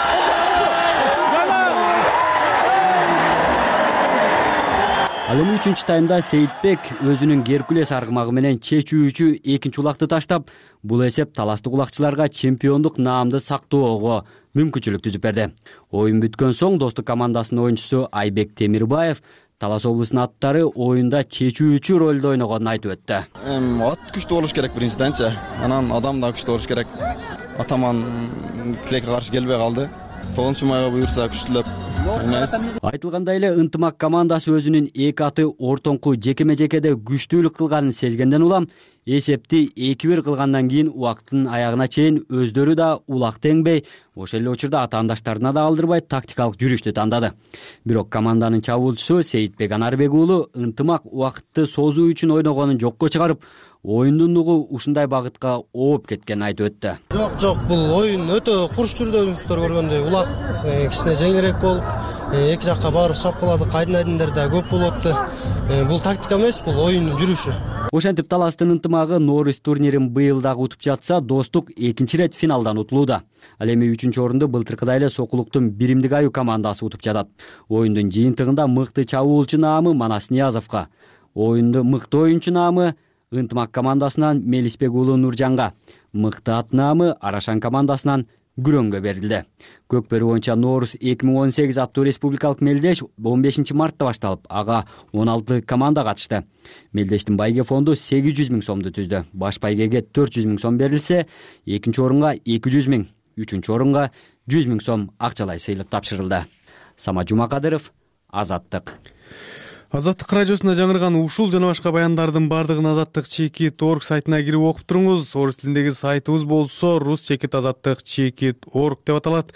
Ал эми үчүнчү таймда Сейитбек өзүнүн Геркулес аргымагы менен чечүүчү экинчи улакты таштап, бул эсеп таластык улакчыларга чемпиондук наамды сактоого мүмкүнчүлүк түзүп берди. Оюн бүткөн соң Достук командасынын оюнчусу Айбек Темирбаев Талас облусунун аттары оюнда чечүүчү ролду ойногонун айтып өттү. Ат күчтүү болуш керек биринчиденчи, анан адам да күчтүү болуш керек. Атаман тилекке каршы келбей калды. тогузунчу майга буюрса күчтүүлөп ойнойбуз. Айтылгандай эле ынтымак командасы өзүнүн эки аты ортоңку жекеме-жекеде күчтүүлүк кылганын сезгенден улам эсепти эки бир кылгандан кийин убакыттын аягына чейин өздөрү да улак теңбей, ошол эле учурда атаандаштарына да алдырбай тактикалык жүрүштү тандады. Бирок команданын чабуулчусу Сейитбек Анарбек уулу ынтымак убакытты созуу үчүн ойногонун жокко чыгарып, оюндун нугу ушундай багытка ооп кеткенин айтып өттү. Жок, жок, бул оюн өтө курч жүрдү, өзүңүздөр көргөндөй. Улак кичине жеңилирээк болуп, эки жакка барып чапкыладык, айдын-айдындар да көп болуп атты. Бул тактика эмес, бул оюндун жүрүшү. Ошентип Таластын ынтымагы Нооруз турнирин быйыл дагы утуп жатса, Достук экинчи ирет финалдан утулууда. Ал эми үчүнчү орунду былтыркыдай эле Сокулуктун Биримдик аю командасы утуп жатат. Оюндун жыйынтыгында мыкты чабуулчу наамы Манас Ниязовго, оюнду мыкты оюнчу наамы ынтымак командасынан Мелисбек уулу Нуржанга, мыкты ат наамы Арашан командасынан Күрөнгө берилди. Көкбөрү боюнча Нооруз эки миң он сегиз аттуу республикалык мелдеш он бешинчи мартта башталып, ага он алты команда катышты. Мелдештин байге фонду сегиз жүз миң сомду түздү. Баш байгеге төрт жүз миң сом берилсе, экинчи орунга эки жүз миң, үчүнчү орунга жүз миң сом акчалай сыйлык тапшырылды. Самат Жумакадыров, Азаттык. Азаттык радиосунда жаңырган ушул жана башка баяндардын бардыгын Азаттык чекит точка орг сайтына кирип окуп туруңуз. Орус тилиндеги сайтыбыз болсо рус чекит азаттык чекит точка орг деп аталат.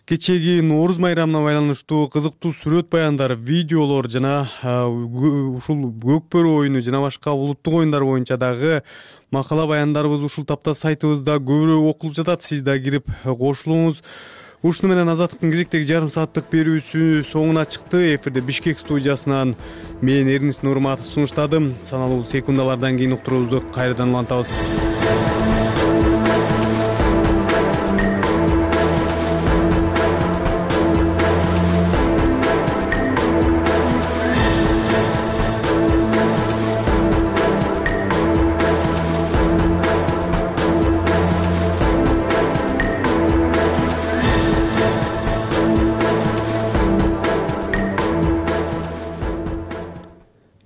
кечеги Нооруз майрамына байланыштуу кызыктуу сүрөт баяндар, видеолор жана ушул көкбөрү оюну жана башка улуттук оюндар боюнча дагы макала баяндарыбыз ушул тапта сайтыбызда көбүрөөк окулуп жатат. Сиз да кирип кошулуңуз. Ушуну менен Азаттыктын кезектеги жарым сааттык берүүсү соңуна чыкты. Эфирде Бишкек студиясынан мен Эрнис Нурматов сунуштадым. Саналуу секундалардан кийин уктуруубузду кайрадан улантабыз.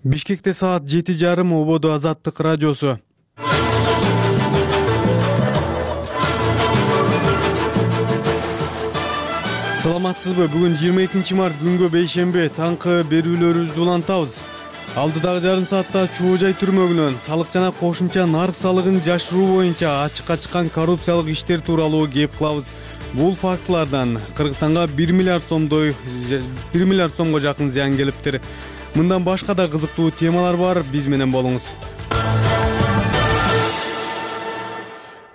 Бишкекте саат жети жарым, ободо Азаттык радиосу. Саламатсызбы? Бүгүн жыйырма экинчи март күнгө бейшемби, таңкы берүүлөрүбүздү улантабыз. Алдыдагы жарым саатта чоо жай түрмөгүнөн салык жана кошумча нарк салыгын жашыруу боюнча ачыкка чыккан коррупциялык иштер тууралуу кеп кылабыз. Бул фактылардан Кыргызстанга бир миллиард сомдой бир миллиард сомго жакын зыян келиптир. Мындан башка да кызыктуу темалар бар, биз менен болуңуз.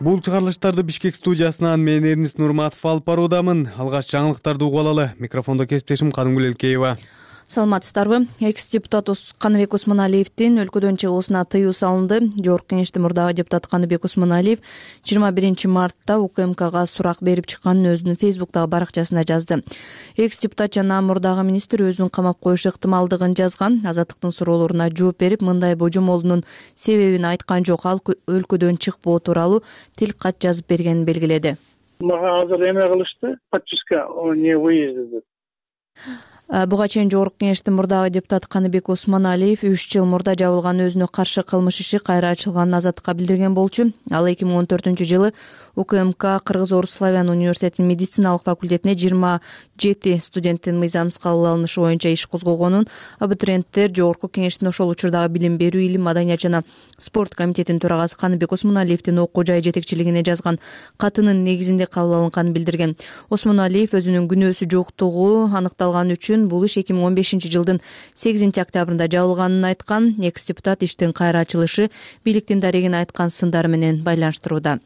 Бул чыгарылыштарды Бишкек студиясынан мен Эрнис Нурматов алып баруудамын. Алгач жаңылыктарды угуп алалы. Микрофондо кесиптешим Кадымгүл Элкеева. Саламатсыздарбы? Экс-депутат Каныбек Осмоналиевдин өлкөдөн чыгуусуна тыюу салынды. Жогорку Кеңештин мурдагы депутаты Каныбек Осмоналиев жыйырма биринчи мартта УКМКга сурак берип чыкканын өзүнүн Фейсбуктагы баракчасында жазды. Экс-депутат жана мурдагы министр өзүн камап коюш ыктымалдыгын жазган. Азаттыктын суроолоруна жооп берип, мындай божомолунун себебин айткан жок. Ал өлкөдөн чыкпоо тууралуу тил кат жазып бергенин белгиледи. Мага азыр эме кылышты, подписка не выезда деп. Буга чейин Жогорку Кеңештин мурдагы депутаты Каныбек Осмоналиев үч жыл мурда жабылган өзүнө каршы кылмыш иши кайра ачылганын Азаттыкка билдирген болчу. Ал эки миң он төртүнчү жылы УКМК Кыргыз-Орус славян университетинин медициналык факультетине жыйырма жети студенттин мыйзамсыз кабыл алынышы боюнча иш козгогонун, абитуриенттер Жогорку Кеңештин ошол учурдагы билим берүү, илим, маданият жана спорт комитетинин төрагасы Каныбек Осмоналиевдин окуу жай жетекчилигине жазган катынын негизинде кабыл алынганын билдирген. Осмоналиев өзүнүн күнөөсү жоктугу аныкталган үчүн бул иш эки миң он бешинчи жылдын сегизинчи октябрында жабылганын айткан. Экс-депутат иштин кайра ачылышы бийликтин дарегине айткан сындары менен байланыштырууда.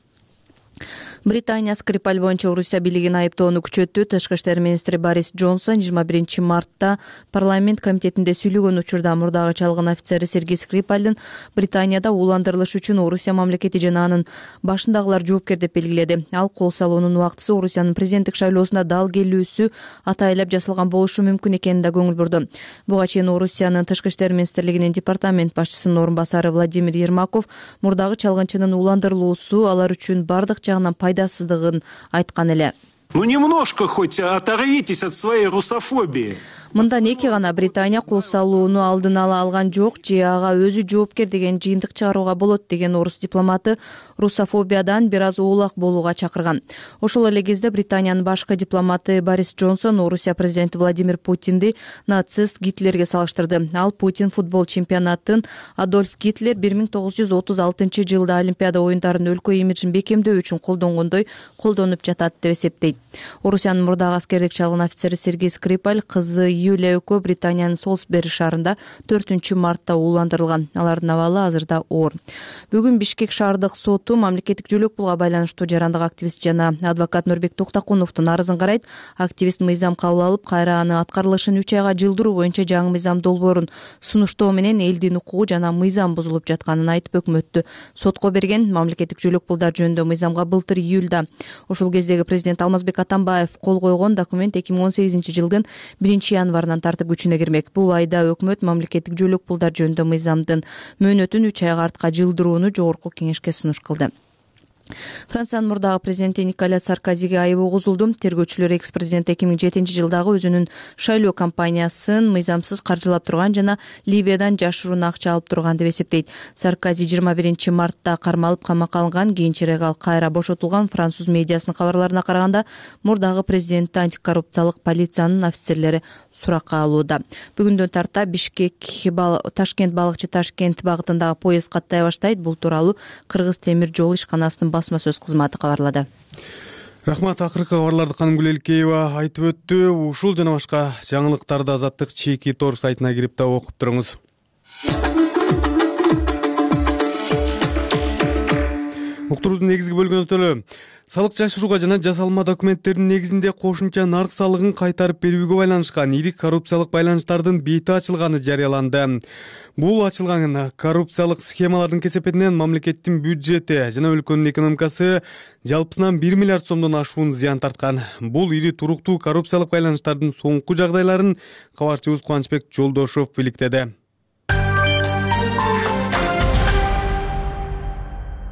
Британия Скрипаль боюнча Орусия бийлигин айыптоону күчөттү. Тышкы иштер министри Борис Джонсон жыйырма биринчи мартта парламент комитетинде сүйлөгөн учурда мурдагы чалгын офицери Сергей Скрипальдын Британияда ууландырылыш үчүн Орусия мамлекети жана анын башындагылар жоопкер деп белгиледи. Ал кол салуунун убактысы Орусиянын президенттик шайлоосуна дал келүүсү атайлап жасалган болушу мүмкүн экенин да көңүл бурду. Буга чейин Орусиянын тышкы иштер министрлигинин департамент башчысынын орун басары Владимир Ермаков мурдагы чалгынчынын ууландырылуусу алар үчүн бардык жагынан пайдасыздыгын айткан эле. Ну немножко хоть оторвитесь от своей русофобии. Мындан эки гана Британия кол салууну алдын ала алган жок же ага өзү жоопкер деген жыйынтык чыгарууга болот деген орус дипломаты русофобиядан бир аз оолак болууга чакырган. Ошол эле кезде Британиянын башкы дипломаты Борис Джонсон Орусия президенти Владимир Путинди нацист Гитлерге салыштырды. Ал Путин футбол чемпионатын Адольф Гитлер бир миң тогуз жүз отуз алтынчы жылда Олимпиада оюндарынын өлкө имиджин бекемдөө үчүн колдонгондой колдонуп жатат деп эсептейт. Орусиянын мурдагы аскердик чалгын офицери Сергей Скрипаль кызы Юлия экөө Британиянын Солсбери шаарында төртүнчү мартта ууландырылган. Алардын абалы азырда оор. Бүгүн Бишкек шаардык соту мамлекеттик жөлөк пулга байланыштуу жарандык активист жана адвокат Нурбек Токтокуновдун арызын карайт. Активист мыйзам кабыл алып, кайра аны аткарылышын үч айга жылдыруу боюнча жаңы мыйзам долбоорун сунуштоо менен элдин укугу жана мыйзам бузулуп жатканын айтып өкмөттү сотко берген. Мамлекеттик жөлөк пулдар жөнүндө мыйзамга былтыр июлда ошол кездеги президент Алмазбек Атамбаев кол койгон документ эки миң он сегизинчи жылдын биринчи январынан тартып күчүнө кирмек. Бул айда өкмөт мамлекеттик жөлөк пулдар жөнүндө мыйзамдын мөөнөтүн үч айга артка жылдырууну Жогорку Кеңешке сунуш кылды. Франциянын мурдагы президенти Николя Саркозиге айып угузулду. Тергөөчүлөр экс-президент эки миң жетинчи жылдагы өзүнүн шайлоо кампаниясын мыйзамсыз каржылап турган жана Ливиядан жашыруун акча алып турган деп эсептейт. Саркози жыйырма биринчи мартта кармалып камакка алынган. Кийинчерээк ал кайра бошотулган. Француз медиасынын кабарларына караганда мурдагы президентти антикоррупциялык полициянын офицерлери суракка алууда. Бүгүндөн тарта Бишкек Ташкент балыкчы Ташкент багытындагы поезд каттай баштайт. Бул тууралуу Кыргыз темир жол ишканасынын басма сөз кызматы кабарлады. Рахмат. Акыркы кабарларды Каным Гүлелкеева айтып өттү. Ушул жана башка жаңылыктарды Азаттык чеки тор сайтына кирип да окуп туруңуз. Уктуруубуздун негизги бөлүгүнө өтөлү. Салык жашырууга жана жасалма документтердин негизинде кошумча нарк салыгын кайтарып берүүгө байланышкан ири коррупциялык байланыштардын бети ачылганы жарыяланды. Бул ачылган коррупциялык схемалардын кесепетинен мамлекеттин бюджети жана өлкөнүн экономикасы жалпысынан бир миллиард сомдон ашуун зыян тарткан. Бул ири туруктуу коррупциялык байланыштардын соңку жагдайларын кабарчыбыз Кубанычбек Жолдошов иликтеди.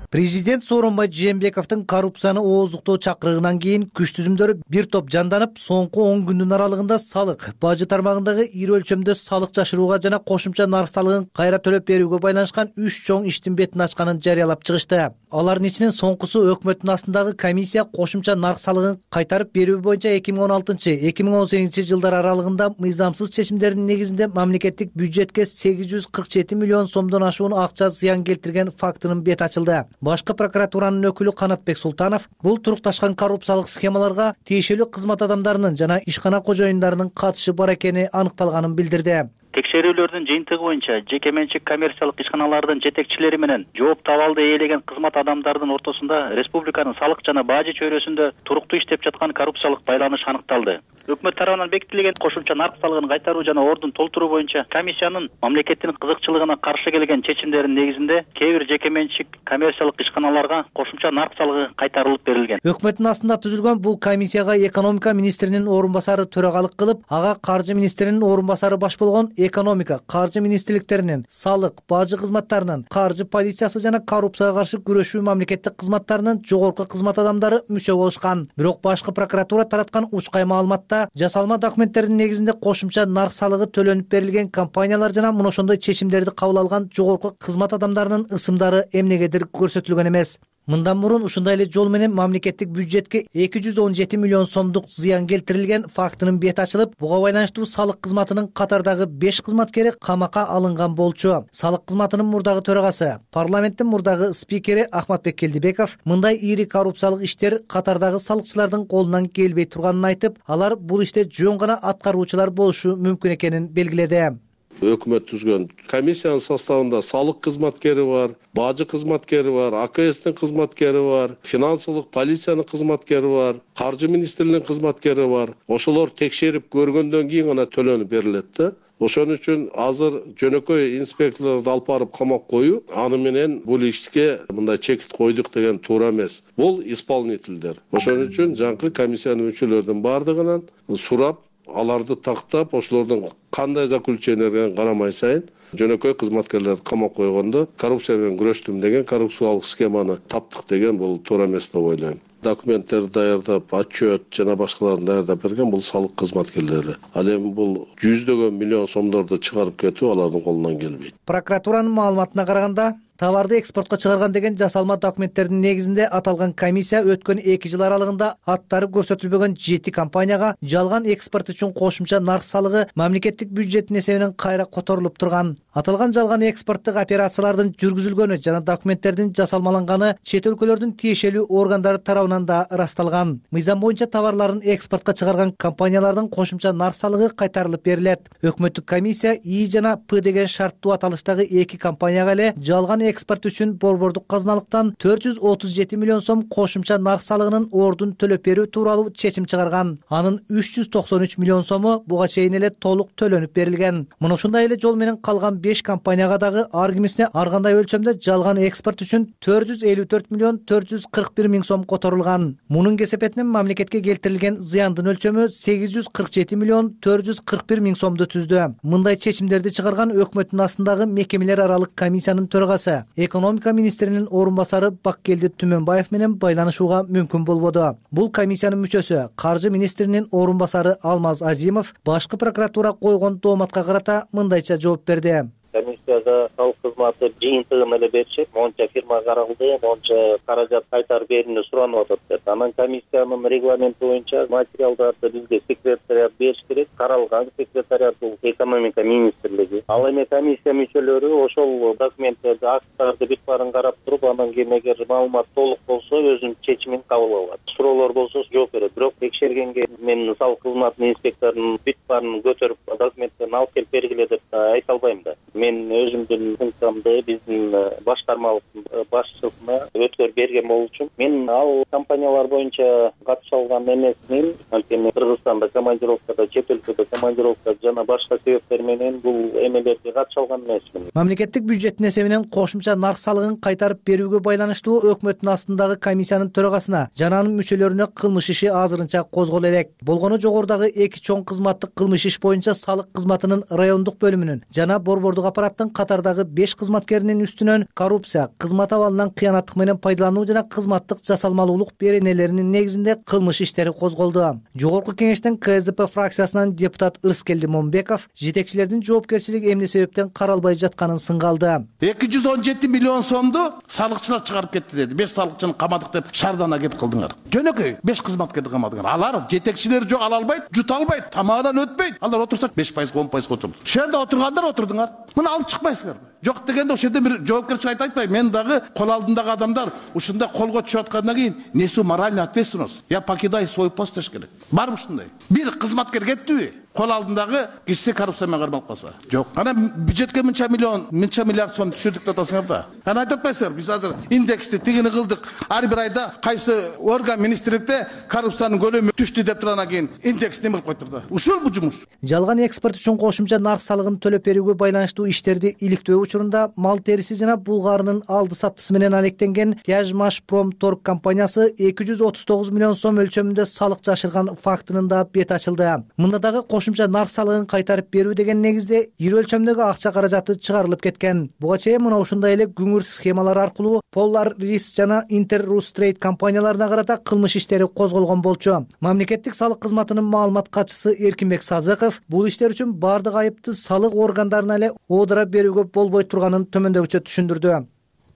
Президент Сооронбай Жээнбековдун коррупцияны ооздуктоо чакырыгынан кийин күч түзүмдөрү бир топ жанданып, соңку он күндүн аралыгында салык, бажы тармагындагы ири өлчөмдө салык жашырууга жана кошумча нарк салыгын кайра төлөп берүүгө байланышкан үч чоң иштин бетин ачканын жарыялап чыгышты. Алардын ичинен соңкусу өкмөттүн астындагы комиссия кошумча нарк салыгын кайтарып берүү боюнча эки миң он алтынчы — эки миң он сегизинчи жылдар аралыгында мыйзамсыз чечимдердин негизинде мамлекеттик бюджетке сегиз жүз кырк жети миллион сомдон ашуун акча зыян келтирген фактынын бети ачылды. Башкы прокуратуранын өкүлү Канатбек Султанов бул турукташкан коррупциялык схемаларга тиешелүү кызмат адамдарынын жана ишкана кожоюндарынын катышы бар экени аныкталганын билдирди. Текшерүүлөрдүн жыйынтыгы боюнча жеке менчик коммерциялык ишканалардын жетекчилери менен жооп табалды ээлеген кызмат адамдардын ортосунда республиканын салык жана бажы чөйрөсүндө туруктуу иштеп жаткан коррупциялык байланыш аныкталды. Өкмөт тарабынан бекитилген кошумча нарк салыгын кайтаруу жана ордун толтуруу боюнча комиссиянын мамлекеттин кызыкчылыгына каршы келген чечимдердин негизинде кээ бир жеке менчик коммерциялык ишканаларга кошумча нарк салыгы кайтарылып берилген. Өкмөттүн астында түзүлгөн бул комиссияга экономика министринин орун басары төрагалык кылып, ага каржы министринин орун басары баш болгон экономика, каржы министрликтеринин, салык, бажы кызматтарынын, каржы полициясы жана коррупцияга каршы күрөшүү мамлекеттик кызматтарынын жогорку кызмат адамдары мүчө болушкан. Бирок башкы прокуратура тараткан учкай маалыматта жасалма документтердин негизинде кошумча нарк салыгы төлөнүп берилген компаниялар жана мына ошондой чечимдерди кабыл алган жогорку кызмат адамдарынын ысымдары эмнегедир көрсөтүлгөн эмес. Мындан мурун ушундай эле жол менен мамлекеттик бюджетке эки жүз он жети миллион сомдук зыян келтирилген фактынын бети ачылып, буга байланыштуу салык кызматынын катардагы беш кызматкери камакка алынган болчу. Салык кызматынын мурдагы төрагасы, парламенттин мурдагы спикери Ахматбек Келдибеков мындай ири коррупциялык иштер катардагы салыкчылардын колунан келбей турганын айтып, алар бул иште жөн гана аткаруучулар болушу мүмкүн экенин белгиледи. Өкмөт түзгөн комиссиянын составында салык кызматкери бар, бажы кызматкери бар, А К Стин кызматкери бар, финансылык полициянын кызматкери бар, каржы министрлигинин кызматкери бар. Ошолор текшерип көргөндөн кийин гана төлөнүп берилет да. Ошон үчүн азыр жөнөкөй инспекторлорду алып барып камап коюу, аны менен бул ишке мындай чекит койдук деген туура эмес. Бул исполнительдер. Ошон үчүн жаңкы комиссиянын мүчөлөрүнүн бардыгынан сурап, аларды тактап, ошолордун кандай заключениелерге карамай сайын жөнөкөй кызматкерлерди камап койгондо коррупция менен күрөштүм деген, коррупциялык схеманы таптык деген бул туура эмес деп ойлойм. Документтерди даярдап, отчет жана башкаларын даярдап берген бул салык кызматкерлери. Ал эми бул жүздөгөн миллион сомдорду чыгарып кетүү алардын колунан келбейт. Прокуратуранын маалыматына караганда, товарды экспортко чыгарган деген жасалма документтердин негизинде аталган комиссия өткөн эки жыл аралыгында аттары көрсөтүлбөгөн жети компанияга жалган экспорт үчүн кошумча нарк салыгы мамлекеттик бюджеттин эсебинен кайра которулуп турган. Аталган жалган экспорттук операциялардын жүргүзүлгөнү жана документтердин жасалмаланганы чет өлкөлөрдүн тиешелүү органдары тарабынан да ырасталган. Мыйзам боюнча товарларын экспортко чыгарган компаниялардын кошумча нарк салыгы кайтарылып берилет. Өкмөттүк комиссия И жана П деген шарттуу аталыштагы эки компанияга эле жалган экспорт үчүн борбордук казыналыктан төрт жүз отуз жети миллион сом кошумча нарк салыгынын ордун төлөп берүү тууралуу чечим чыгарган. Анын үч жүз токсон үч миллион сому буга чейин эле толук төлөнүп берилген. Мына ушундай эле жол менен калган беш компанияга дагы ар кимисине ар кандай өлчөмдө жалган экспорт үчүн төрт жүз элүү төрт миллион төрт жүз кырк бир миң сом которулган. Мунун кесепетинен мамлекетке келтирилген зыяндын өлчөмү сегиз жүз кырк жети миллион төрт жүз кырк бир миң сомду түздү. Мындай чечимдерди чыгарган өкмөттүн астындагы мекемелер аралык комиссиянын төрагасы экономика министринин орун басары Баккелди Түмөнбаев менен байланышууга мүмкүн болбоду. Бул комиссиянын мүчөсү, каржы министринин орун басары Алмаз Азимов башкы прокуратура койгон дооматка карата мындайча жооп берди. Комиссия айда салык кызматы жыйынтыгын эле беришет. Монча фирма каралды, монча каражат кайтарып берүүнү суранып атат деп. Анан комиссиянын регламенти боюнча материалдарды бизге секретариат бериш керек. Каралган секретариат бул экономика министрлиги. Ал эми комиссия мүчөлөрү ошол документтерди, акттарды бүт баарын карап туруп, анан кийин эгер маалымат толук болсо өзүнүн чечимин кабыл алат. Суроолор болсо жооп берет. Бирок текшергенге мен салык кызматынын инспекторунун бүт баарын көтөрүп документтерин алып келип бергиле деп айта албайм да. Мен өзүмдүн функциямды биздин башкармалык башчысына өткөрүп берген болчумун. Мен ал компаниялар боюнча катыша алган эмесмин. Анткени Кыргызстанда командировкада, чет өлкөдө командировка жана башка себептер менен бул эмелерге катыша алган эмесмин. Мамлекеттик бюджеттин эсебинен кошумча нарк салыгын кайтарып берүүгө байланыштуу өкмөттүн астындагы комиссиянын төрагасына жана анын мүчөлөрүнө кылмыш иши азырынча козголо элек. Болгону жогорудагы эки чоң кызматтык кылмыш иш боюнча салык кызматынын райондук бөлүмүнүн жана борбордук аппараттын катардагы беш кызматкеринин үстүнөн коррупция, кызмат абалынан кыянаттык менен пайдалануу жана кызматтык жасалмалуулук беренелеринин негизинде кылмыш иштери козголду. Жогорку кеңештин Ка Эс Д П фракциясынан депутат Ырыскелди Момбеков жетекчилердин жоопкерчилиги эмне себептен каралбай жатканын сынга алды. эки жүз он жети миллион сомду салыкчылар чыгарып кетти деди. беш салыкчыны камадык деп шаардана кеп кылдыңар. Жөнөкөй беш кызматкерди камадыңар. Алар жетекчилери жок, ала албайт, жута албайт, тамагынан өтпөйт. Алар отурса беш пайыз, он пайыз отурду. Ошол жерде отургандар отурдуңар. Муну алып чыкпайсыңарбы? Жок дегенде ошол жерде бир жоопкерчилик айтпайм. Мен дагы кол алдындагы адамдар ушундай колго түшүп аткандан кийин несу моральный ответственность. Я покидаю свой пост деш керек. Барбы ушундай? Бир кызматкер кеттиби? Кол алдындагы киши коррупция менен кармалып калса. Жок. Анан бюджетке мынча миллион, мынча миллиард сом түшүрдүк деп атасыңар да. Анан айтып атпайсыңар, биз азыр индексти тигини кылдык. Ар бир айда кайсы орган министрликте коррупциянын көлөмү түштү деп турандан кийин индекс неме кылып койтур да. Ушул бу жумуш. Жалган экспорт үчүн кошумча нарк салыгын төлөп берүүгө байланыштуу иштерди иликтөө учурунда мал териси жана булгарынын алды саттысы менен алектенген Тяжмашпромторг компаниясы эки жүз отуз тогуз миллион сом өлчөмүндө салык жашырган фактынын да бет ачылды. Мында дагы кошумча нарк салыгын кайтарып берүү деген негизде ири өлчөмдөгү акча каражаты чыгарылып кеткен. Буга чейин мына ушундай эле күңүр схемалар аркылуу Polar Risk жана Interrus Trade компанияларына карата кылмыш иштери козголгон болчу. Мамлекеттик салык кызматынын маалымат катчысы Эркинбек Сазыков бул иштер үчүн бардык айыпты салык органдарына эле оодура берүүгө болбой турганын төмөндөгүчө түшүндүрдү.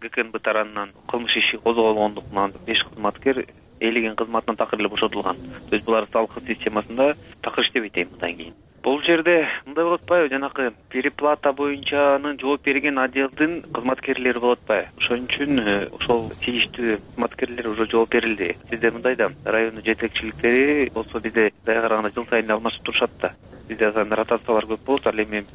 Г К Н Б тарабынан кылмыш иши козголгондуктан беш кызматкер элеген кызматынан такыр эле бошотулган. То есть булар салык системасында такыр иштебейт эми мындан кийин. Бул жерде мындай болот атпайбы, жанакы переплата боюнчанын жооп берген отделдин кызматкерлери болот атпайбы? Ошон үчүн ошол тийиштүү кызматкерлер уже жооп берилди. Бизде мындай да райондун жетекчиликтери болсо бизде даяр караганда жыл сайын алмашып турушат да. Бизде ротациялар көп болот, ал эми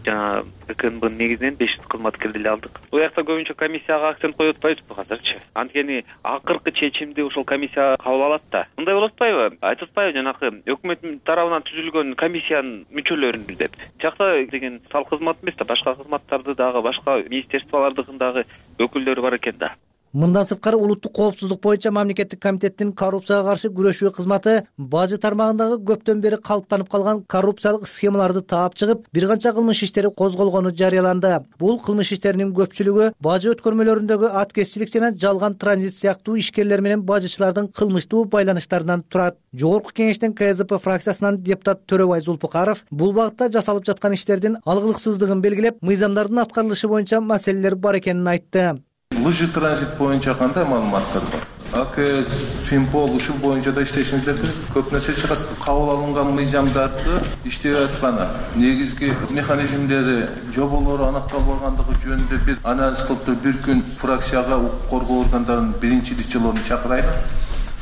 жана Г К Н Бнын негизинен беш кызматкерди эле алдык. Бул жакта көбүнчө комиссияга акцент коюп атпайбызбы азырчы? Анткени акыркы чечимди ошол комиссия кабыл алат да. Мындай болот атпайбы? Айтып атпайбы жанакы өкмөт тарабынан түзүлгөн комиссиянын мүчөлөрүн деп. Жакта деген салык кызматы эмес да, башка кызматтарды дагы, башка министерстволордун дагы өкүлдөрү бар экен да. Мындан сырткары улуттук коопсуздук боюнча мамлекеттик комитеттин коррупцияга каршы күрөшүү кызматы бажы тармагындагы көптөн бери калыптанып калган коррупциялык схемаларды таап чыгып, бир канча кылмыш иштери козголгону жарыяланды. Бул кылмыш иштеринин көпчүлүгү бажы өткөрмөлөрүндөгү аткезчилик жана жалган транзит сыяктуу ишкерлер менен бажычылардын кылмыштуу байланыштарынан турат. Жогорку кеңештин Ка Эс Д П фракциясынан депутат Төрөбай Зулпукаров бул багытта жасалып жаткан иштердин алгылыксыздыгын белгилеп, мыйзамдардын аткарылышы боюнча маселелер бар экенин айтты. Лыжы транзит боюнча кандай маалыматтар бар? А К С, Финпол ушул боюнча да иштешиңиздер керек. Көп нерсе чыгат. Кабыл алынган мыйзамдарды иштеп атканы, негизги механизмдери, жоболору аныкталбагандыгы жөнүндө бир анализ кылып, бир күн фракцияга укук коргоо органдарынын биринчи дичилерин чакырайлы.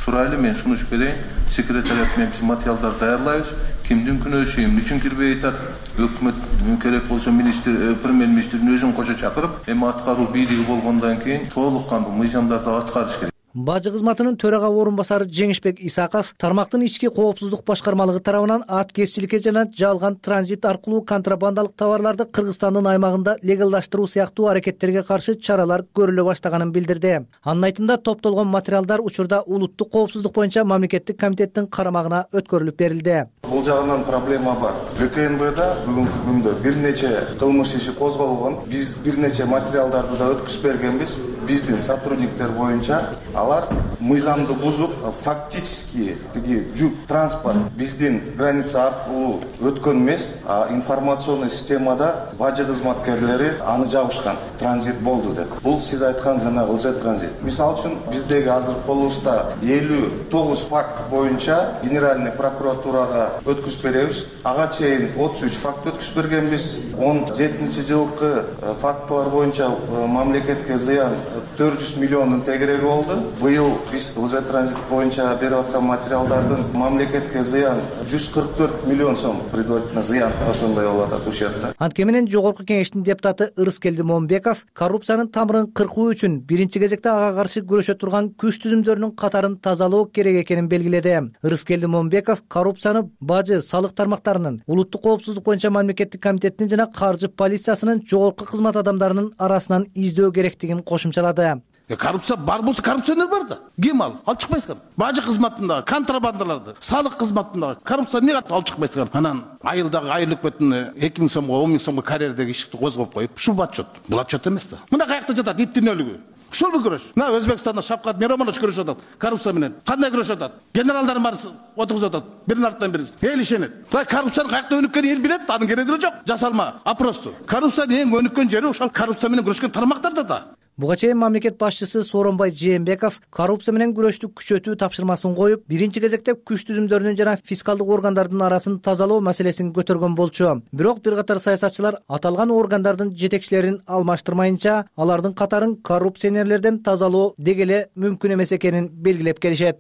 Сурайлы, мен сунуш берейин. Секретариат менен биз материалдар даярдайбыз. Кимдин күнөөсү, эмне үчүн кирбей атат? Өкмөт керек болсо министр, премьер-министрдин өзүн кошо чакырып, эми аткаруу бийлиги болгондон кийин толук кандуу мыйзамдарды аткарыш керек. Бажы кызматынын төрага орун басары Жеңишбек Исаков тармактын ички коопсуздук башкармалыгы тарабынан аткезчиликке жана жалган транзит аркылуу контрабандалык товарларды Кыргызстандын аймагында легалдаштыруу сыяктуу аракеттерге каршы чаралар көрүлө баштаганын билдирди. Анын айтымында топтолгон материалдар учурда улуттук коопсуздук боюнча мамлекеттик комитеттин карамагына өткөрүлүп берилди. Бул жагынан проблема бар. Г К Н Бда бүгүнкү күндө бир нече кылмыш иши козголгон. Биз бир нече материалдарды да өткүзүп бергенбиз. Биздин сотрудниктер боюнча алар мыйзамды бузуп, фактически тиги жүк транспорт биздин граница аркылуу өткөн эмес, а информационный системада бажы кызматкерлери аны жабышкан, транзит болду деп. Бул сиз айткан жана лже транзит. Мисалы үчүн биздеги азыр колубузда элүү тогуз факт боюнча генеральный прокуратурага өткүзүп беребиз. Ага чейин отуз үч факт өткүзүп бергенбиз. он жетинчи жылкы фактылар боюнча мамлекетке зыян төрт жүз миллиондун тегереги болду. Быйыл биз лже транзит боюнча берип аткан материалдардын мамлекетке зыян жүз кырк төрт миллион сом предварительно зыян ошондой болуп атат ущерб. Анткени Жогорку Кеңештин депутаты Ырыскелди Момбеков коррупциянын тамырын кыркуу үчүн биринчи кезекте ага каршы күрөшө турган күч түзүмдөрүнүн катарын тазалоо керек экенин белгиледи. Ырыскелди Момбеков коррупцияны бажы, салык тармактарынын, улуттук коопсуздук боюнча мамлекеттик комитеттин жана каржы полициясынын жогорку кызмат адамдарынын арасынан издөө керектигин кошумчалады. Коррупция бар болсо коррупционер бар да. Ким ал? Алып чыкпайсыңар. Бажы кызматындагы, контрабандаларды, салык кызматындагы коррупция эмнеге алып чыкпайсыңар? Анан айылдагы айыл өкмөтүн эки миң сомго, он миң сомго карьердеги ишти козгоп коюп, ушул отчет. Бул отчет эмес да. Мына каякта жатат иттин өлүгү. Ушул күрөш. Мына Өзбекстанда Шавкат Миромонович күрөшүп атат коррупция менен. Кандай күрөшүп атат? Генералдар бар отургузуп атат. Бирин артынан бири. Эл ишенет. Бул коррупциянын каякта өнүккөнүн эл билет, анын кереги деле жок. Жасалма, а просто. Коррупциянын эң өнүккөн жери ошол коррупция менен күрөшкөн тармактарда да. Буга чейин мамлекет башчысы Сооронбай Жээнбеков коррупция менен күрөштү күчөтүү тапшырмасын коюп, биринчи кезекте күч түзүмдөрүнүн жана фискалдык органдардын арасын тазалоо маселесин көтөргөн болчу. Бирок бир катар саясатчылар аталган органдардын жетекчилерин алмаштырмайынча, алардын катарын коррупционерлерден тазалоо дегеле мүмкүн эмес экенин белгилеп келишет.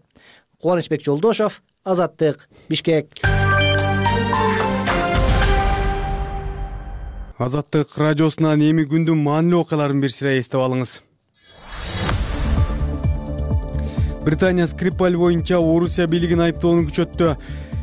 Кубанычбек Жолдошов, Азаттык, Бишкек. Азаттык радиосунан эми күндүн маанилүү окуяларын бир сыйра эстеп алыңыз. Британия Скрипаль боюнча Орусия бийлигин айыптоону күчөттү.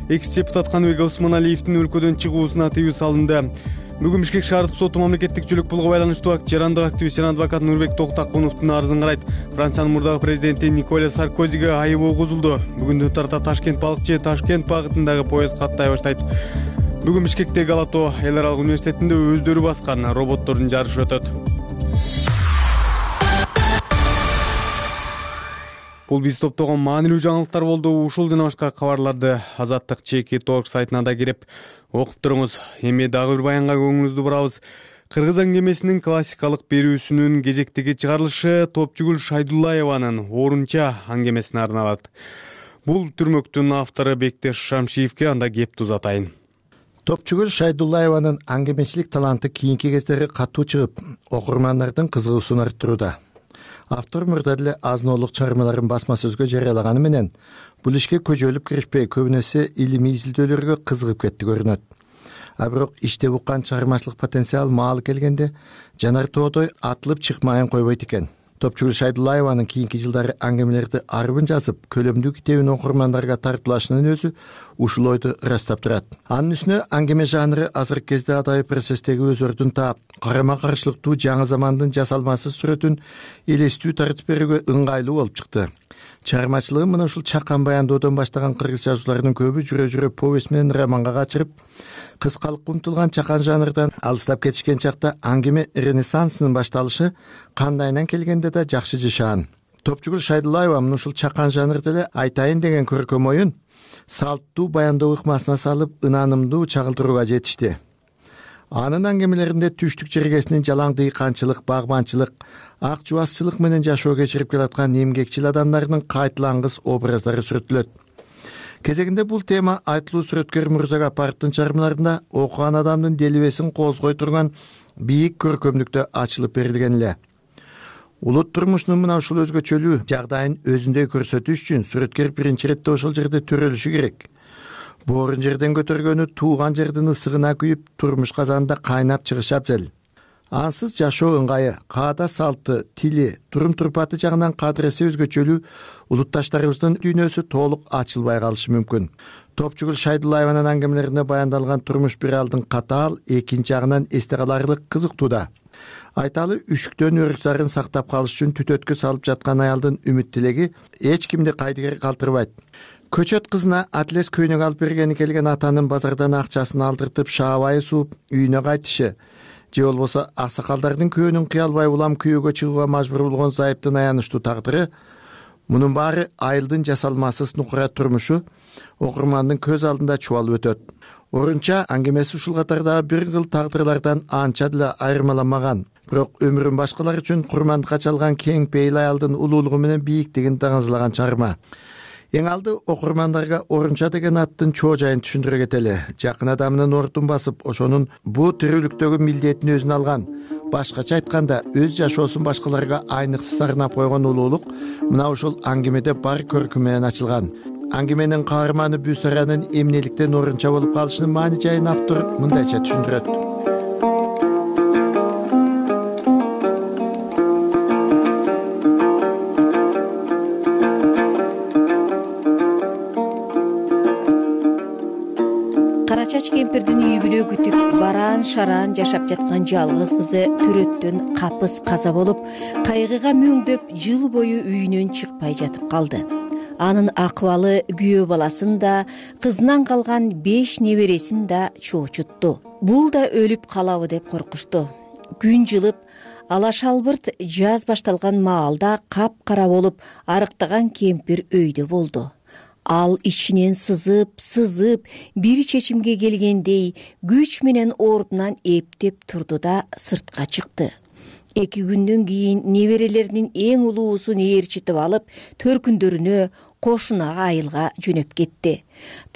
Экс-депутат Каныбек Осмоналиевдин өлкөдөн чыгуусуна тыюу салынды. Бүгүн Бишкек шаардык соту мамлекеттик жөлөк пулга байланыштуу жарандык активист жана адвокат Нурбек Токтакуновдун арызын карайт. Франциянын мурдагы президенти Николя Саркозиге айып огузулду. Бүгүндөн тарта Ташкент балыкчы Ташкент багытындагы поезд каттай баштайт. Бүгүн Бишкектеги Галато эл аралык университетинде өздөрү баскан роботтордун жарышы өтөт. Бул биз топтогон маанилүү жаңылыктар болду. Ушул жана башка кабарларды Азаттык Чеки Торг сайтына да кирип окуп туруңуз. Эми дагы бир баянга көңүлүңүздү бурабыз. Кыргыз аңгемесинин классикалык берүүсүнүн кезектеги чыгарылышы Топчугүл Шайдуллаеванын Орунча аңгемесине арналат. Бул түрмөктүн автору Бектеш Шамшиевке анда кепти узатайын. Топчугүл Шайдуллаеванын аңгемечилик таланты кийинки кездери катуу чыгып, окурмандардын кызыгуусун арттырууда. Автор мурда деле азноолук чыгармаларын басма сөзгө жарыялаганы менен бул ишке көжөлүп киришпей, көбүнесе илимий изилдөөлөргө кызыгып кетти көрүнөт. А бирок иштеп уккан чыгармачылык потенциал маалы келгенде жанар тоодой атылып чыкмайын койбойт экен. Топчугүл Шайдуллаеванын кийинки жылдары аңгемелерди арбын жазып, көлөмдүү китебин окурмандарга тартуулашынын өзү ушул ойду ырастап турат. Анын үстүнө аңгеме жанры азыркы кезде адайы процесстеги өз ордун таап, карама-каршылыктуу жаңы замандын жасалмасыз сүрөтүн элестүү тартып берүүгө ыңгайлуу болуп чыкты. Чыгармачылыгын мына ушул чакан баяндоодон баштаган кыргыз жазууларынын көбү жүрө-жүрө повесть менен романга качырып, кыскалыкка умтулган чакан жанрдан алыстап кетишкен чакта аңгеме ренессансынын башталышы кандайынан келгенде да жакшы жашаан. Топчугүл Шайдуллаева мына ушул чакан жанрда эле айтайын деген көркөм оюн салттуу баяндоо ыкмасына салып, ынанымдуу чагылдырууга жетишти. Анын аңгемелеринде түштүк жергесинин жалаң дыйканчылык, багбанчылык, ак жубасчылык менен жашоо кечирип келаткан эмгекчил адамдардын кайтылангыс образдары сүрөттөлөт. Кезегинде бул тема айтылуу сүрөткөр Мурза Гапаровдун чыгармаларында окуган адамдын делебесин козгой турган бийик көркөмдүктө ачылып берилген эле. Улут турмушунун мына ушул өзгөчөлүү жагдайын өзүндөй көрсөтүш үчүн сүрөткөр биринчи иретте ошол жерде төрөлүшү керек. Боорун жерден көтөргөнү тууган жердин ысыгына күйүп, турмуш казанында кайнап чыгыш абзел. Ансыз жашоо ыңгайы, каада салты, тили, турум-турпаты жагынан кадыресе өзгөчөлүү улутташтарыбыздын дүйнөсү толук ачылбай калышы мүмкүн. Топчугүл Шайдуллаеванын аңгемелеринде баяндалган турмуш бир алдын катаал, экинчи жагынан эсте каларлык кызыктууда. Айталы үшүктөн өрүк-зарын сактап калыш үчүн түтөткө салып жаткан аялдын үмүт тилеги эч кимди кайдыгер калтырбайт. Көчөт кызына атлес көйнөк алып бергени келген атанын базардан акчасын алдыртып шаабайы сууп үйүнө кайтышы, же болбосо аксакалдардын көөнүн кыялбай улам күйөөгө чыгууга мажбур болгон зайыптын аянычтуу тагдыры Мунун баары айылдын жасалмасыз нукура турмушу окурмандын көз алдында чубалып өтөт. Орунча аңгемеси ушул катардагы бир кыл тагдырлардан анча деле айырмаламаган. Бирок өмүрүн башкалар үчүн курмандыкка чалган кең пейил аялдын улуулугу менен бийиктигин даңазлаган чыгарма. Эң алды окурмандарга Орунча деген аттын чоо жайын түшүндүрө кетели. Жакын адамынын ордун басып, ошонун бу тирүүлүктөгү милдетин өзүнө алган. Башкача айтканда, өз жашоосун башкаларга айныксы сарнап койгон улуулук мына ушул аңгемеде бар көркү менен ачылган. Аңгеменин каарманы Бүсаранын эмнеликтен Орунча болуп калышынын маани жайын автор мындайча түшүндүрөт. Кара чач кемпирдин үй бүлө күтүп бараан шараан жашап жаткан жалгыз кызы төрөттөн капыс каза болуп, кайгыга мөңдөп жыл бою үйүнөн чыкпай жатып калды. Анын акыбалы күйөө баласын да, кызынан калган беш небересин да чоочутту. Бул да өлүп калабы деп коркушту. Күн жылып, ала шалбырт жаз башталган маалда капкара болуп арыктаган кемпир өйдө болду. Ал ичинен сызып, сызып, бир чечимге келгендей күч менен ордунан эптеп турду да сыртка чыкты. Эки күндөн кийин неберелеринин эң улуусун ээрчитип алып, төркүндөрүнө кошунага айылга жөнөп кетти.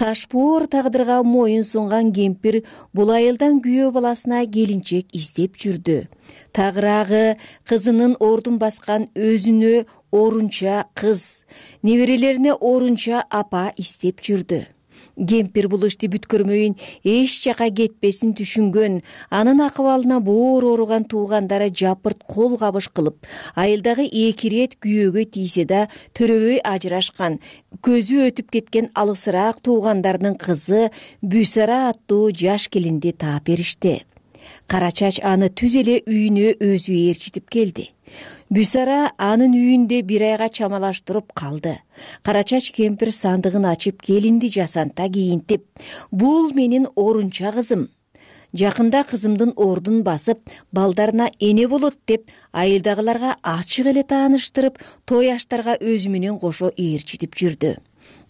Ташбоор тагдырга моюн сунган кемпир бул айылдан күйөө баласына келинчек издеп жүрдү. Тагыраагы кызынын ордун баскан өзүнө Орунча кыз, неберелерине Орунча апа издеп жүрдү. Кемпир бул ишти бүткөрмөйүн эч жака кетпесин түшүнгөн, анын акыбалына боор ооруган туугандары жапырт кол кабыш кылып, айылдагы эки ирет күйөөгө тийсе да төрөбөй ажырашкан, көзү өтүп кеткен алысыраак туугандарынын кызы Бүсара аттуу жаш келинди таап беришти. Кара чач аны түз эле үйүнө өзү ээрчитип келди. Бүсара анын үйүндө бир айга чамалаштырып калды. Кара чач кемпир сандыгын ачып келинди жасанта кийинтип, бул менин Орунча кызым. Жакында кызымдын ордун басып, балдарына эне болот деп айылдагыларга ачык эле тааныштырып, той аштарга өзү менен кошо ээрчитип жүрдү.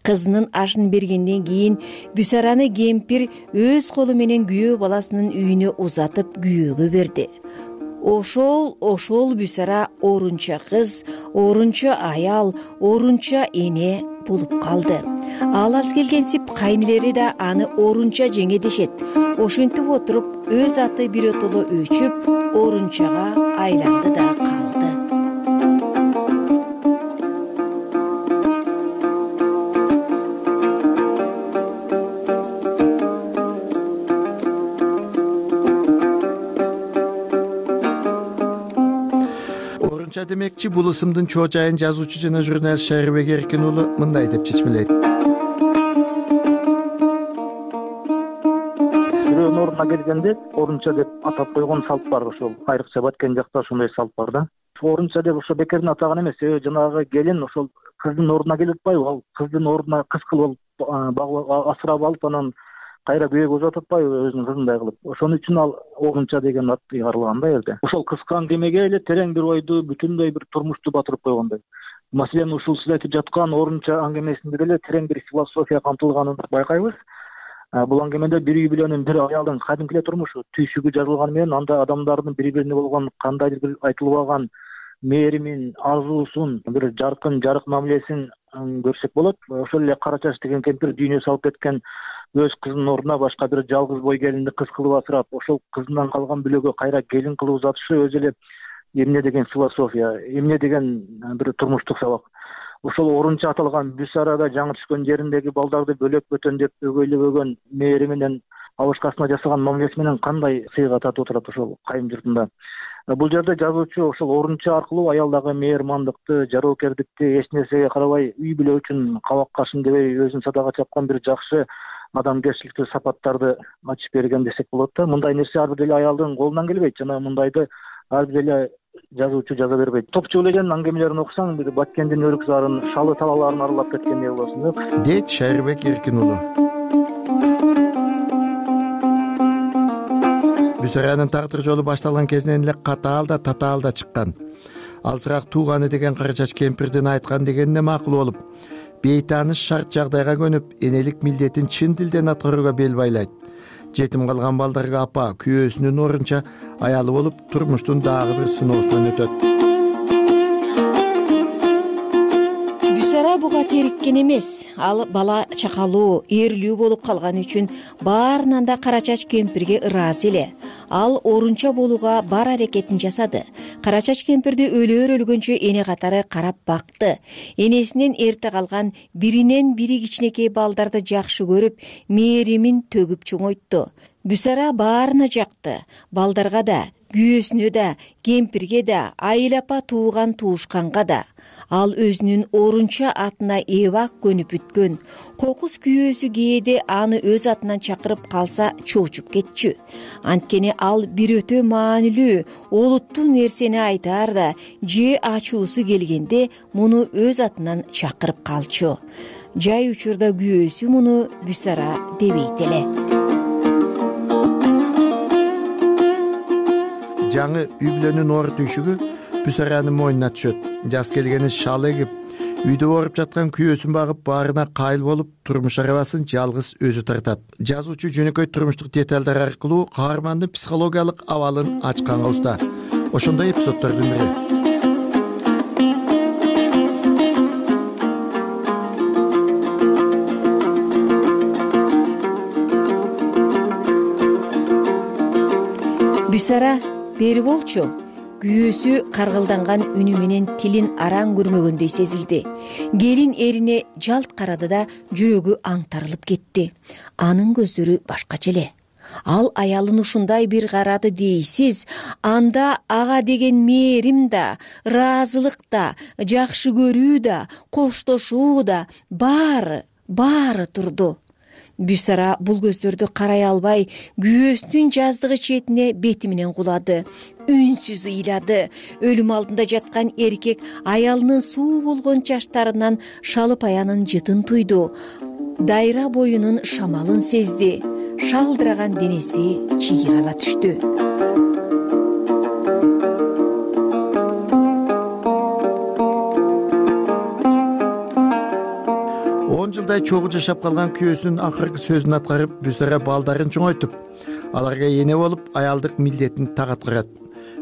Кызынын ашын бергенден кийин Бүсараны кемпир өз колу менен күйөө баласынын үйүнө узатып күйөөгө берди. Ошол, ошол Бүсара Орунча кыз, Орунча аял, Орунча эне болуп калды. Ал аз келгенсип кайнелери да аны Орунча жеңе дешет. Ошентип отуруп, өз аты биротоло өчүп, Орунчага айланды да калды. Демекчи, бул ысымдын чоо жайын жазуучу жана журналист Шайрыбек Эркин уулу мындай деп чечмелейт. Бирөөнүн ордуна келгенде Орунча деп атап койгон салт бар, ошол айрыкча Баткен жакта ошондой салт бар да. Орунча деп ошо бекерден атаган эмес, жанагы келин ошол кыздын ордуна келип атпайбы, ал кыздын ордуна кыз кылып багып асырап алып, анан кайра күйөөгө узатып атпайбы өзүнүн кызындай кылып. Ошон үчүн ал Орунча деген ат ыйгарылган да элде. Ошол кыска аңгемеге эле терең бир ойду, бүтүндөй бир турмушту батырып койгондой. Маселен, ушул сиз айтып жаткан Орунча аңгемесинде деле терең бир философия камтылганын байкайбыз. Бул аңгемеде бир үй бүлөнүн, бир аялдын кадимки эле турмушу, түйшүгү жазылганы менен анда адамдардын бири-бирине болгон кандайдыр бир айтылбаган мээримин, арзуусун, бир жаркын, жарык мамилесин көрсөк болот. Ошол эле Кара чач деген кемпир дүйнө салып кеткен өз кызынын ордуна башка бир жалгыз бой келинди кыз кылып асырап, ошол кызынан калган бүлөгө кайра келин кылып узатышы өзү эле эмне деген философия, эмне деген бир турмуштук сабак. Ошол Орунча аталган Бүсарада жаңы түшкөн жериндеги балдарды бөлөк бөтөндөп өгөйлөбөгөн мээри менен абышкасына жасаган мамилеси менен кандай сыйга татып отурат ошол кайын журтунда. Бул жерде жазуучу ошол Орунча аркылуу аялдагы мээрмандыкты, жароокердикти, эч нерсеге карабай үй бүлө үчүн кабак кашын дебей өзүн садага чапкан бир жакшы адамгерчиликтүү сапаттарды ачып берген десек болот да. Мындай нерсе ар бир деле аялдын колунан келбейт жана мындайды ар бир деле жазуучу жаза бербейт. Топчу элеген аңгемелерин окусаң, бир Баткендин өрүкзарын, шалы талаларын аралап кеткендей болосуң, дейт Шайрыбек Эркин уулу. Бүсаранын тагдыр жолу башталган кезинен эле катаал да татаал да чыккан. Алсыраак тууганы деген Карачач кемпирдин айткан дегенине макул болуп, бейтааныш шарт жагдайга көнүп, энелик милдетин чын дилден аткарууга бел байлайт. Жетим калган балдарга апа күйөөсүнүн орунча аялы болуп, турмуштун дагы бир сыноосунан өтөт. Бүсара буга териккен эмес. Ал бала чакалуу, эрлүү болуп калган үчүн баарынан да Карачач кемпирге ыраазы эле. Ал орунча болууга бар аракетин жасады. Карачач кемпирди өлөр өлгөнчө эне катары карап бакты. Энесинен эрте калган биринен бири кичинекей балдарды жакшы көрүп, мээримин төгүп чоңойтту. Бүсара баарына жакты. Балдарга да, күйөөсүнө да, кемпирге да, айыл апа тууган туушканга да. Ал өзүнүн орунча атына эбак көнүп бүткөн. Кокус күйөөсү кээде аны өз атынан чакырып калса чоочуп кетчү. Анткени ал бир өтө маанилүү, олуттуу нерсени айтаар да, же ачуусу келгенде муну өз атынан чакырып калчу. Жай учурда күйөөсү муну Бүсара дебейт эле. Жаңы үй бүлөнүн оор түйшүгү Бүсаранын мойнуна түшөт. Жаз келгени шал эгип, үйдө ооруп жаткан күйөөсүн багып, баарына кайыл болуп, турмуш арабасын жалгыз өзү тартат. Жазуучу жөнөкөй турмуштук деталдар аркылуу каармандын психологиялык абалын ачканга уста. Ошондой эпизоддордун бири. Бүсара, бери болчу. Күйөөсү каргылданган үнү менен тилин араң көрмөгөндөй сезилди. Келин эрине жалт карады да жүрөгү аңтарылып кетти. Анын көздөрү башкача эле. Ал аялын ушундай бир карады дейсиз, анда ага деген мээрим да, ыраазылык да, жакшы көрүү да, коштошуу да баары, баары турду. Бүсара бул көздөрдү карай албай, күйөөсүнүн жаздыгы четине бети менен кулады. Үнсүз ыйлады. Өлүм алдында жаткан эркек аялынын суу болгон чачтарынан шалып аянын жытын туйду. Дайра боюнун шамалын сезди. Шалдыраган денеси чийирала түштү. он жылдай чогуу жашап калган күйөөсүнүн акыркы сөзүн аткарып, Бүсара балдарын чоңойтуп, аларга эне болуп, аялдык милдетин так аткарат.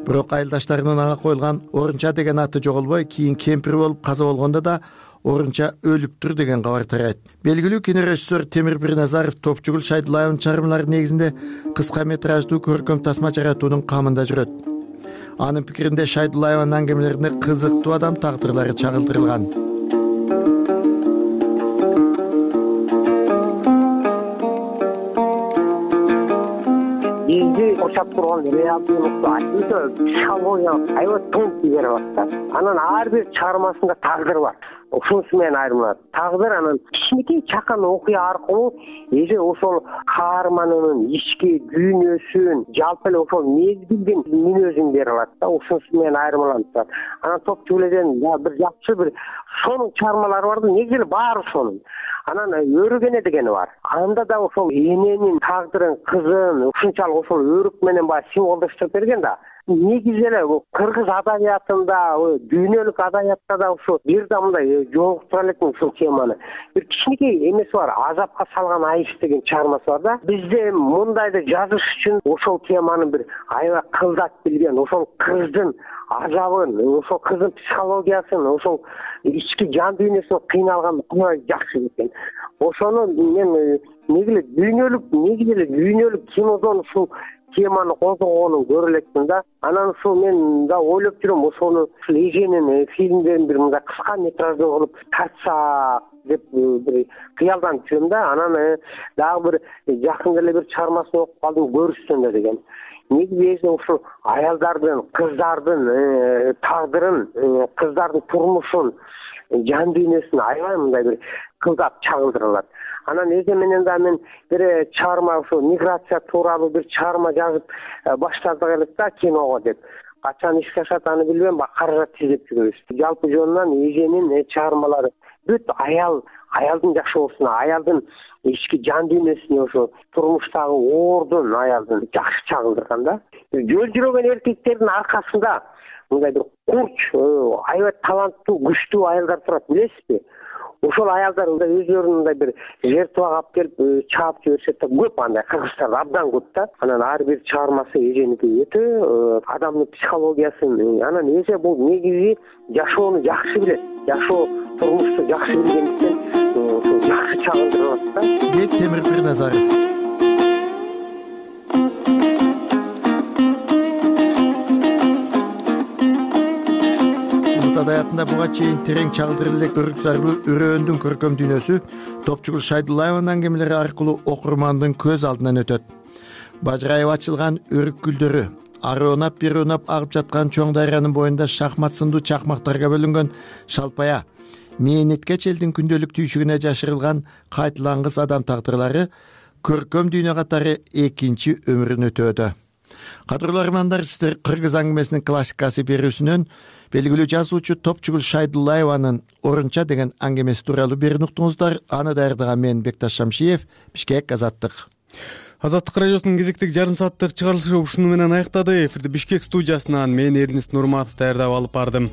Бирок айылдаштарынын ага коюлган орунча деген аты жоголбой, кийин кемпир болуп каза болгондо да орунча өлүптүр деген кабар тарайт. Белгилүү кинорежиссер Темир Бирназаров Топчугул Шайдуллаевдин чыгармалары негизинде кыска метраждуу көркөм тасма жаратуунун камында жүрөт. Анын пикиринде Шайдуллаеванын аңгемелерине кызыктуу адам тагдырлары чагылдырылган. бизди курчап турган реалдуулукту өтө психологиялык аябай тонкий берип атат да. Анан ар бир чыгармасында тагдыр бар. Ошонусу менен айырмалат. Тагдыр анан кичинекей чакан окуя аркылуу эже ошол каарманынын ички дүйнөсүн, жалпы эле ошол мезгилдин мүнөзүн бере алат да. Ошонусу менен айырмаланат. Анан Топчугулден бир жакшы бир сонун чыгармалары бар да, негизи эле баары сонун. Анан өрүгене дегени бар. Анда да ошол эненин тагдырын, кызын ушунчалык ошол өрүк менен баягы символдоштуруп берген да. Негизи эле кыргыз адабиятында, дүйнөлүк адабиятта да ушул бир да мындай жолуктура элекмин ушул теманы. Бир кичинекей эмеси бар, азапка салган айыш деген чыгармасы бар да. Бизде мындайды жазыш үчүн ошол теманы бир аябай кылдат билген, ошол кыздын азабын, ошол кыздын психологиясын, ошол ички жан дүйнөсүн кыйналган аябай жакшы экен. Ошону мен негизи эле дүйнөлүк, негизи эле дүйнөлүк кинодон ушул теманы козгогонун көрө элекмин да. Анан ушул мен да ойлоп жүрөм, ошону ушул эженин фильмдерин бир мындай кыска метраждуу кылып тартсак деп бир кыялданып жүрөм да. Анан дагы бир жакында эле бир чыгармасын окуп калдым, көрүшсөндө деген. Негизи ушул аялдардын, кыздардын тагдырын, кыздардын турмушун, жан дүйнөсүн аябай мындай бир кылдап чагылдыралат. Анан эже менен да мен бир чыгарма ушул миграция тууралуу бир чыгарма жазып баштадык элек да киного деп. Качан ишке ашат аны билбейм, каражат издеп жүрөбүз. Жалпы жөнүнөн эженин чыгармалары бүт аял аялдын жашоосуна, аялдын ички жан дүйнөсүнө, ошо турмуштагы оордун аялдын жакшы чагылдырган да. Жөл жүрөгөн эркектердин аркасында мындай бир курч, аябай таланттуу, күчтүү аялдар турат, билесизби? Ошол аялдар өздөрүн мындай бир жертвага алып келип чаап жиберишет да, көп андай Кыргызстанда абдан көп да. Анан ар бир чыгармасы эженики өтө адамдын психологиясын, анан эже бул негизи жашоону жакшы билет, жашоо турмушту жакшы билгендиктен ошо жакшы чагылдырып атат да. Бек Темир Пирназаров. Адаятында буга чейин терең чагылдырып элек өрүксарлуу үрөөндүн көркөм дүйнөсү Топчугул Шайдуллаеванын аңгемелери аркылуу окурмандын көз алдынан өтөт. Бажырайып ачылган өрүк гүлдөрү, ары унап бери унап агып жаткан чоң дарыянын боюнда шахмат сындуу чакмактарга бөлүнгөн шалпая, мээнеткеч элдин күндөлүк түйшүгүнө жашырылган кайтылангыс адам тагдырлары көркөм дүйнө катары экинчи өмүрүн өтөөдө. Кадырлуу армандар, сиздер Кыргыз аңгемесинин классикасы берүүсүнөн белгилүү жазуучу Топчугул Шайдуллаеванын Орунча деген аңгемеси тууралуу берүүнү уктуңуздар. Аны даярдаган мен Бекташ Шамшиев, Бишкек, Азаттык. Азаттык радиосунун кезектеги жарым сааттык чыгарылышы ушуну менен аяктады. Эфирди Бишкек студиясынан мен Эрнест Нурматов даярдап алып бардым.